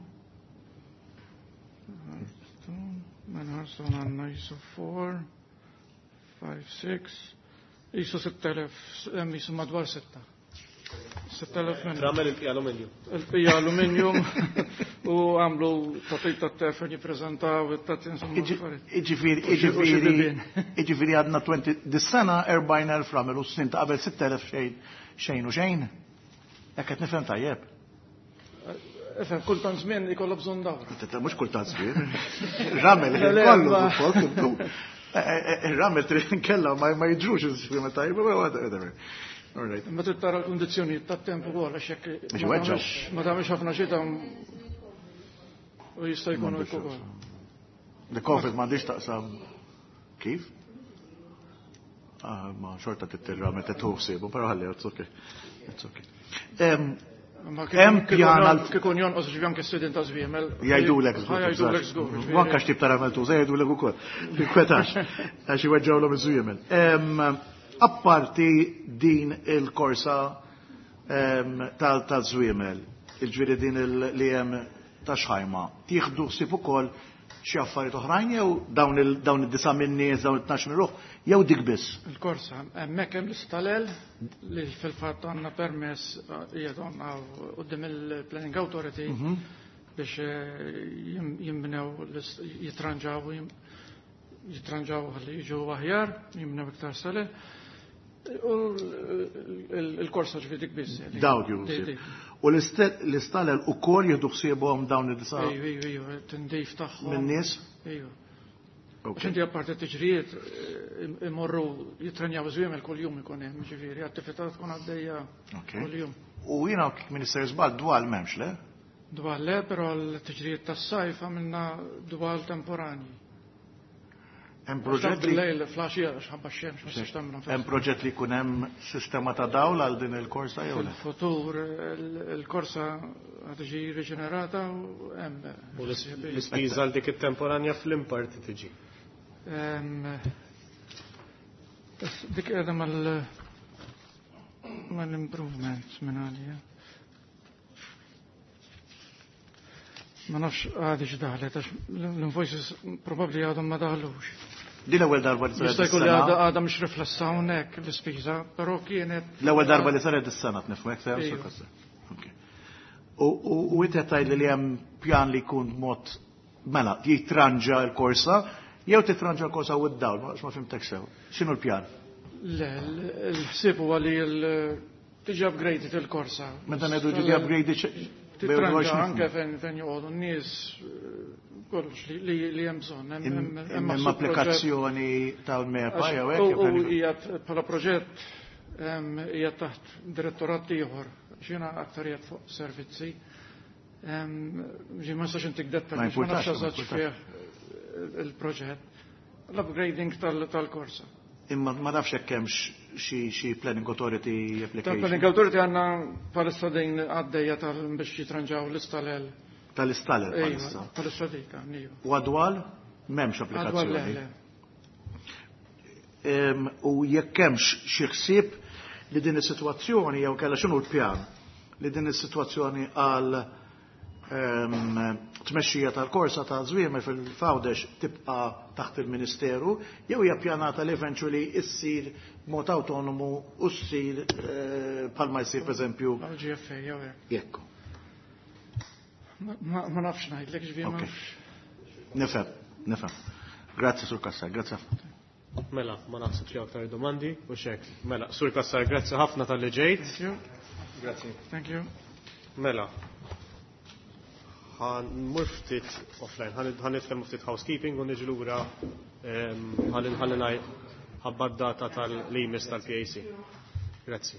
Mela ħarsu għandna jisu four, five, six, jisu sitt elef, hemm jisu madwar sitta. sitt elef minnu. Ramel il-pija alluminju. Il-pija alluminju u għamlu tatib ta' tefer jippreżentaw it-tati insomma affarijiet. Iġifieri, iġifieri, iġifieri għadna twenty, dis-sena erbgħin elf ramel u s-snin ta' qabel sitt elef xejn, xejn u xejn. Jekk qed nifhem tajjeb. Efhem, kultant żmien ikollha bżonn dawra. Mhux kultant żmien. Ramel kollu suppost. Ir-ramel trid inkella ma jiġrux iż-żmien tajjeb, whatever. All right. Imma trid tara l-kundizzjonijiet tat-temp ukoll għax jekk ma tagħmilx ħafna xita u jista' jkun hekk ukoll. The COVID m'għandix taqsam kif? Ah, ma xorta tittirra meta tuħsibu, però ħalli, it's okay. It's okay. Hemm pjan għal kikun jonqos ġifi anke s-sidin ta' żwiemel. Jgħidulek żgur. Jgħidulek żgur. Manka x'tip ta' ramel tuża jgħidulek ukoll. Tinkwetax għax iweġġawlhom iż-żwiemel. Apparti din il-korsa tal-żwiemel, il-ġifieri din li hemm ta' xħajma, tieħdu ħsieb ukoll xi affarijiet oħrajn jew dawn dawn id-disa' min-nies, dawn it-tnax minn ruħ, jew dik biss? Il-korsa, hemmhekk hemm l-istalel li fil-fatt għandna permess qiegħed għandna quddiem il-Planning Authority biex jimbnew jitranġaw jitranġaw ħalli jiġu aħjar, jimbnew iktar stalel. U l-korsa ġifieri dik biss. Dawk jieħdu. U l-istalel ukoll jieħdu ħsiebhom dawn id-disa'? Ejju, ejju, ejju, tindif tagħhom. Min-nies? Ejju. Għax inti apparti t-tiġrijiet imorru jitrenjaw żwiemel kuljum ikun hemm, ġifieri, attività tkun għaddejja kuljum. U jiena Minister żball dwal m'hemmx le? Dwal le, però l-tiġrijiet tas-sajf għamilna dwal temporanji. Hemm proġett li lejl flaxija għax ħabba x-xemx ma tistax tagħmilhom. Hemm proġett li jkun hemm sistema ta' dawl għal din il-korsa jew le? Fil-futur il-korsa qed tiġi riġenerata u hemm. U l-ispiża għal dik it-temporanja fl-imparti tiġi. Dik qiegħda mal mal-improvements minn għalija. Ma nafx għadi x'daħlet, għax l-invoices probabbli għadhom ma daħlux. Din l-ewwel darba li saret. Jista' jkun li għadha mhux riflessa hawnhekk l-ispiża, però kienet. L-ewwel darba li saret is-sena tnifhmek sew. U inti qed tgħidli li hemm pjan li jkun mod mela jitranġa l-korsa jew titranġa l-korsa u d-dawl, għax ma fimtek sew. X'inhu l-pjan? Le, l-ħsieb huwa li tiġi upgraded il-korsa. Meta ngħidu tiġi upgraded titranġa anke fejn joqogħdu n-nies kollox li hemm bżonn. Hemm applikazzjoni tal-MEPA jew hekk. U hija bħala proġett hija taħt direttorat ieħor, x'jiena aktar qiegħed fuq servizzi. Ġi ma nistax intik dettalji, ma nafx eżatt fih il-proġett. L-upgrading tal-korsa. Imma ma nafx hekk hemmx xi planning authority application. Tal-planning authority għandna bħalissa din għaddejja tal biex jitranġaw l-istalel. Tal-istalel bħalissa. Bħalissa dik għandna. U għadwal m'hemmx applikazzjoni. Għadwal le. U jekk hemmx xi ħsieb li din is-sitwazzjoni jew kellha x'inhu l-pjan li din is-sitwazzjoni għal tmexxija tal-korsa ta' żwiemel fil-Għawdex tibqa' taħt il-Ministeru jew hija ppjanata li eventually issir b'mod awtonomu u ssir bħalma jsir pereżempju G F A jew hekk. Jekk. Ma nafx ngħidlek ġifieri ma nafx. Nifhem, nifhem. Grazzi Sur Cassar, grazzi ħafna. Mela, ma naħsibx li aktar domandi u xek. Mela, Sur Cassar, grazzi ħafna tal-li ġejt. Thank you. Grazzi. Thank you. Mela. Ħan ftit offline, ħan nitkellmu ftit housekeeping u niġi lura ħalli nħalli ngħid ħabba d-data tal-limis tal-P A C. Grazzi.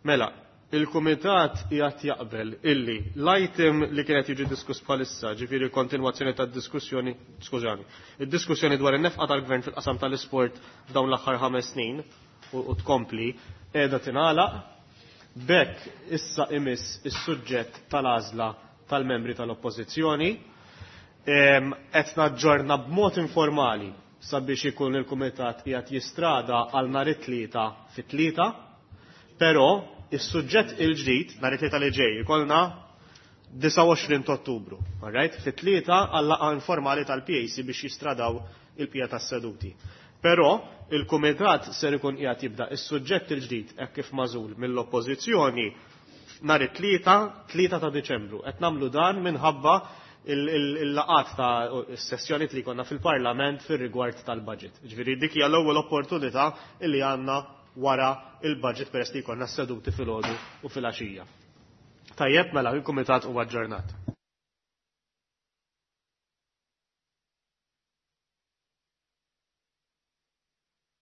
Mela, il-Kumitat qiegħed jaqbel illi l-item li kienet jiġi diskuss bħalissa, ġifieri kontinwazzjoni tad-diskussjoni, skużani, id-diskussjoni dwar in-nefqa tal-Gvern fil-qasam tal-isport f'dawn l-aħħar ħames snin u, u tkompli qiegħda tingħalaq. B'hekk issa imiss is-suġġett tal-għażla tal-membri tal-Oppożizzjoni. Qed naġġorna b'mod informali sabiex ikun il-Kumitat qiegħed jistrada għal nhar it-tlieta fit-tlieta, però is-suġġett il-ġdid nhar it-tlieta li ġej ikollna disgħa u għoxrin ta' Ottubru, all right? Fit-tlieta għal laqgħa informali tal-P A C biex jistradaw il-pija tas-seduti. Però il-Kumitat ser ikun qiegħed jibda is-suġġett il-ġdid hekk kif magħżul mill-Oppożizzjoni nhar it-tlieta, tlieta ta' Diċembru. Qed nagħmlu dan minħabba il-laqat ta' s-sessjoni li konna fil-Parlament fir-rigward tal-budget. Ġifieri dik hija l-ewwel opportunità li għandna wara il-budget peress li jkollna seduti fil-għodu u fil-għaxija. Tajjeb, mela, il-Kumitat huwa aġġornat.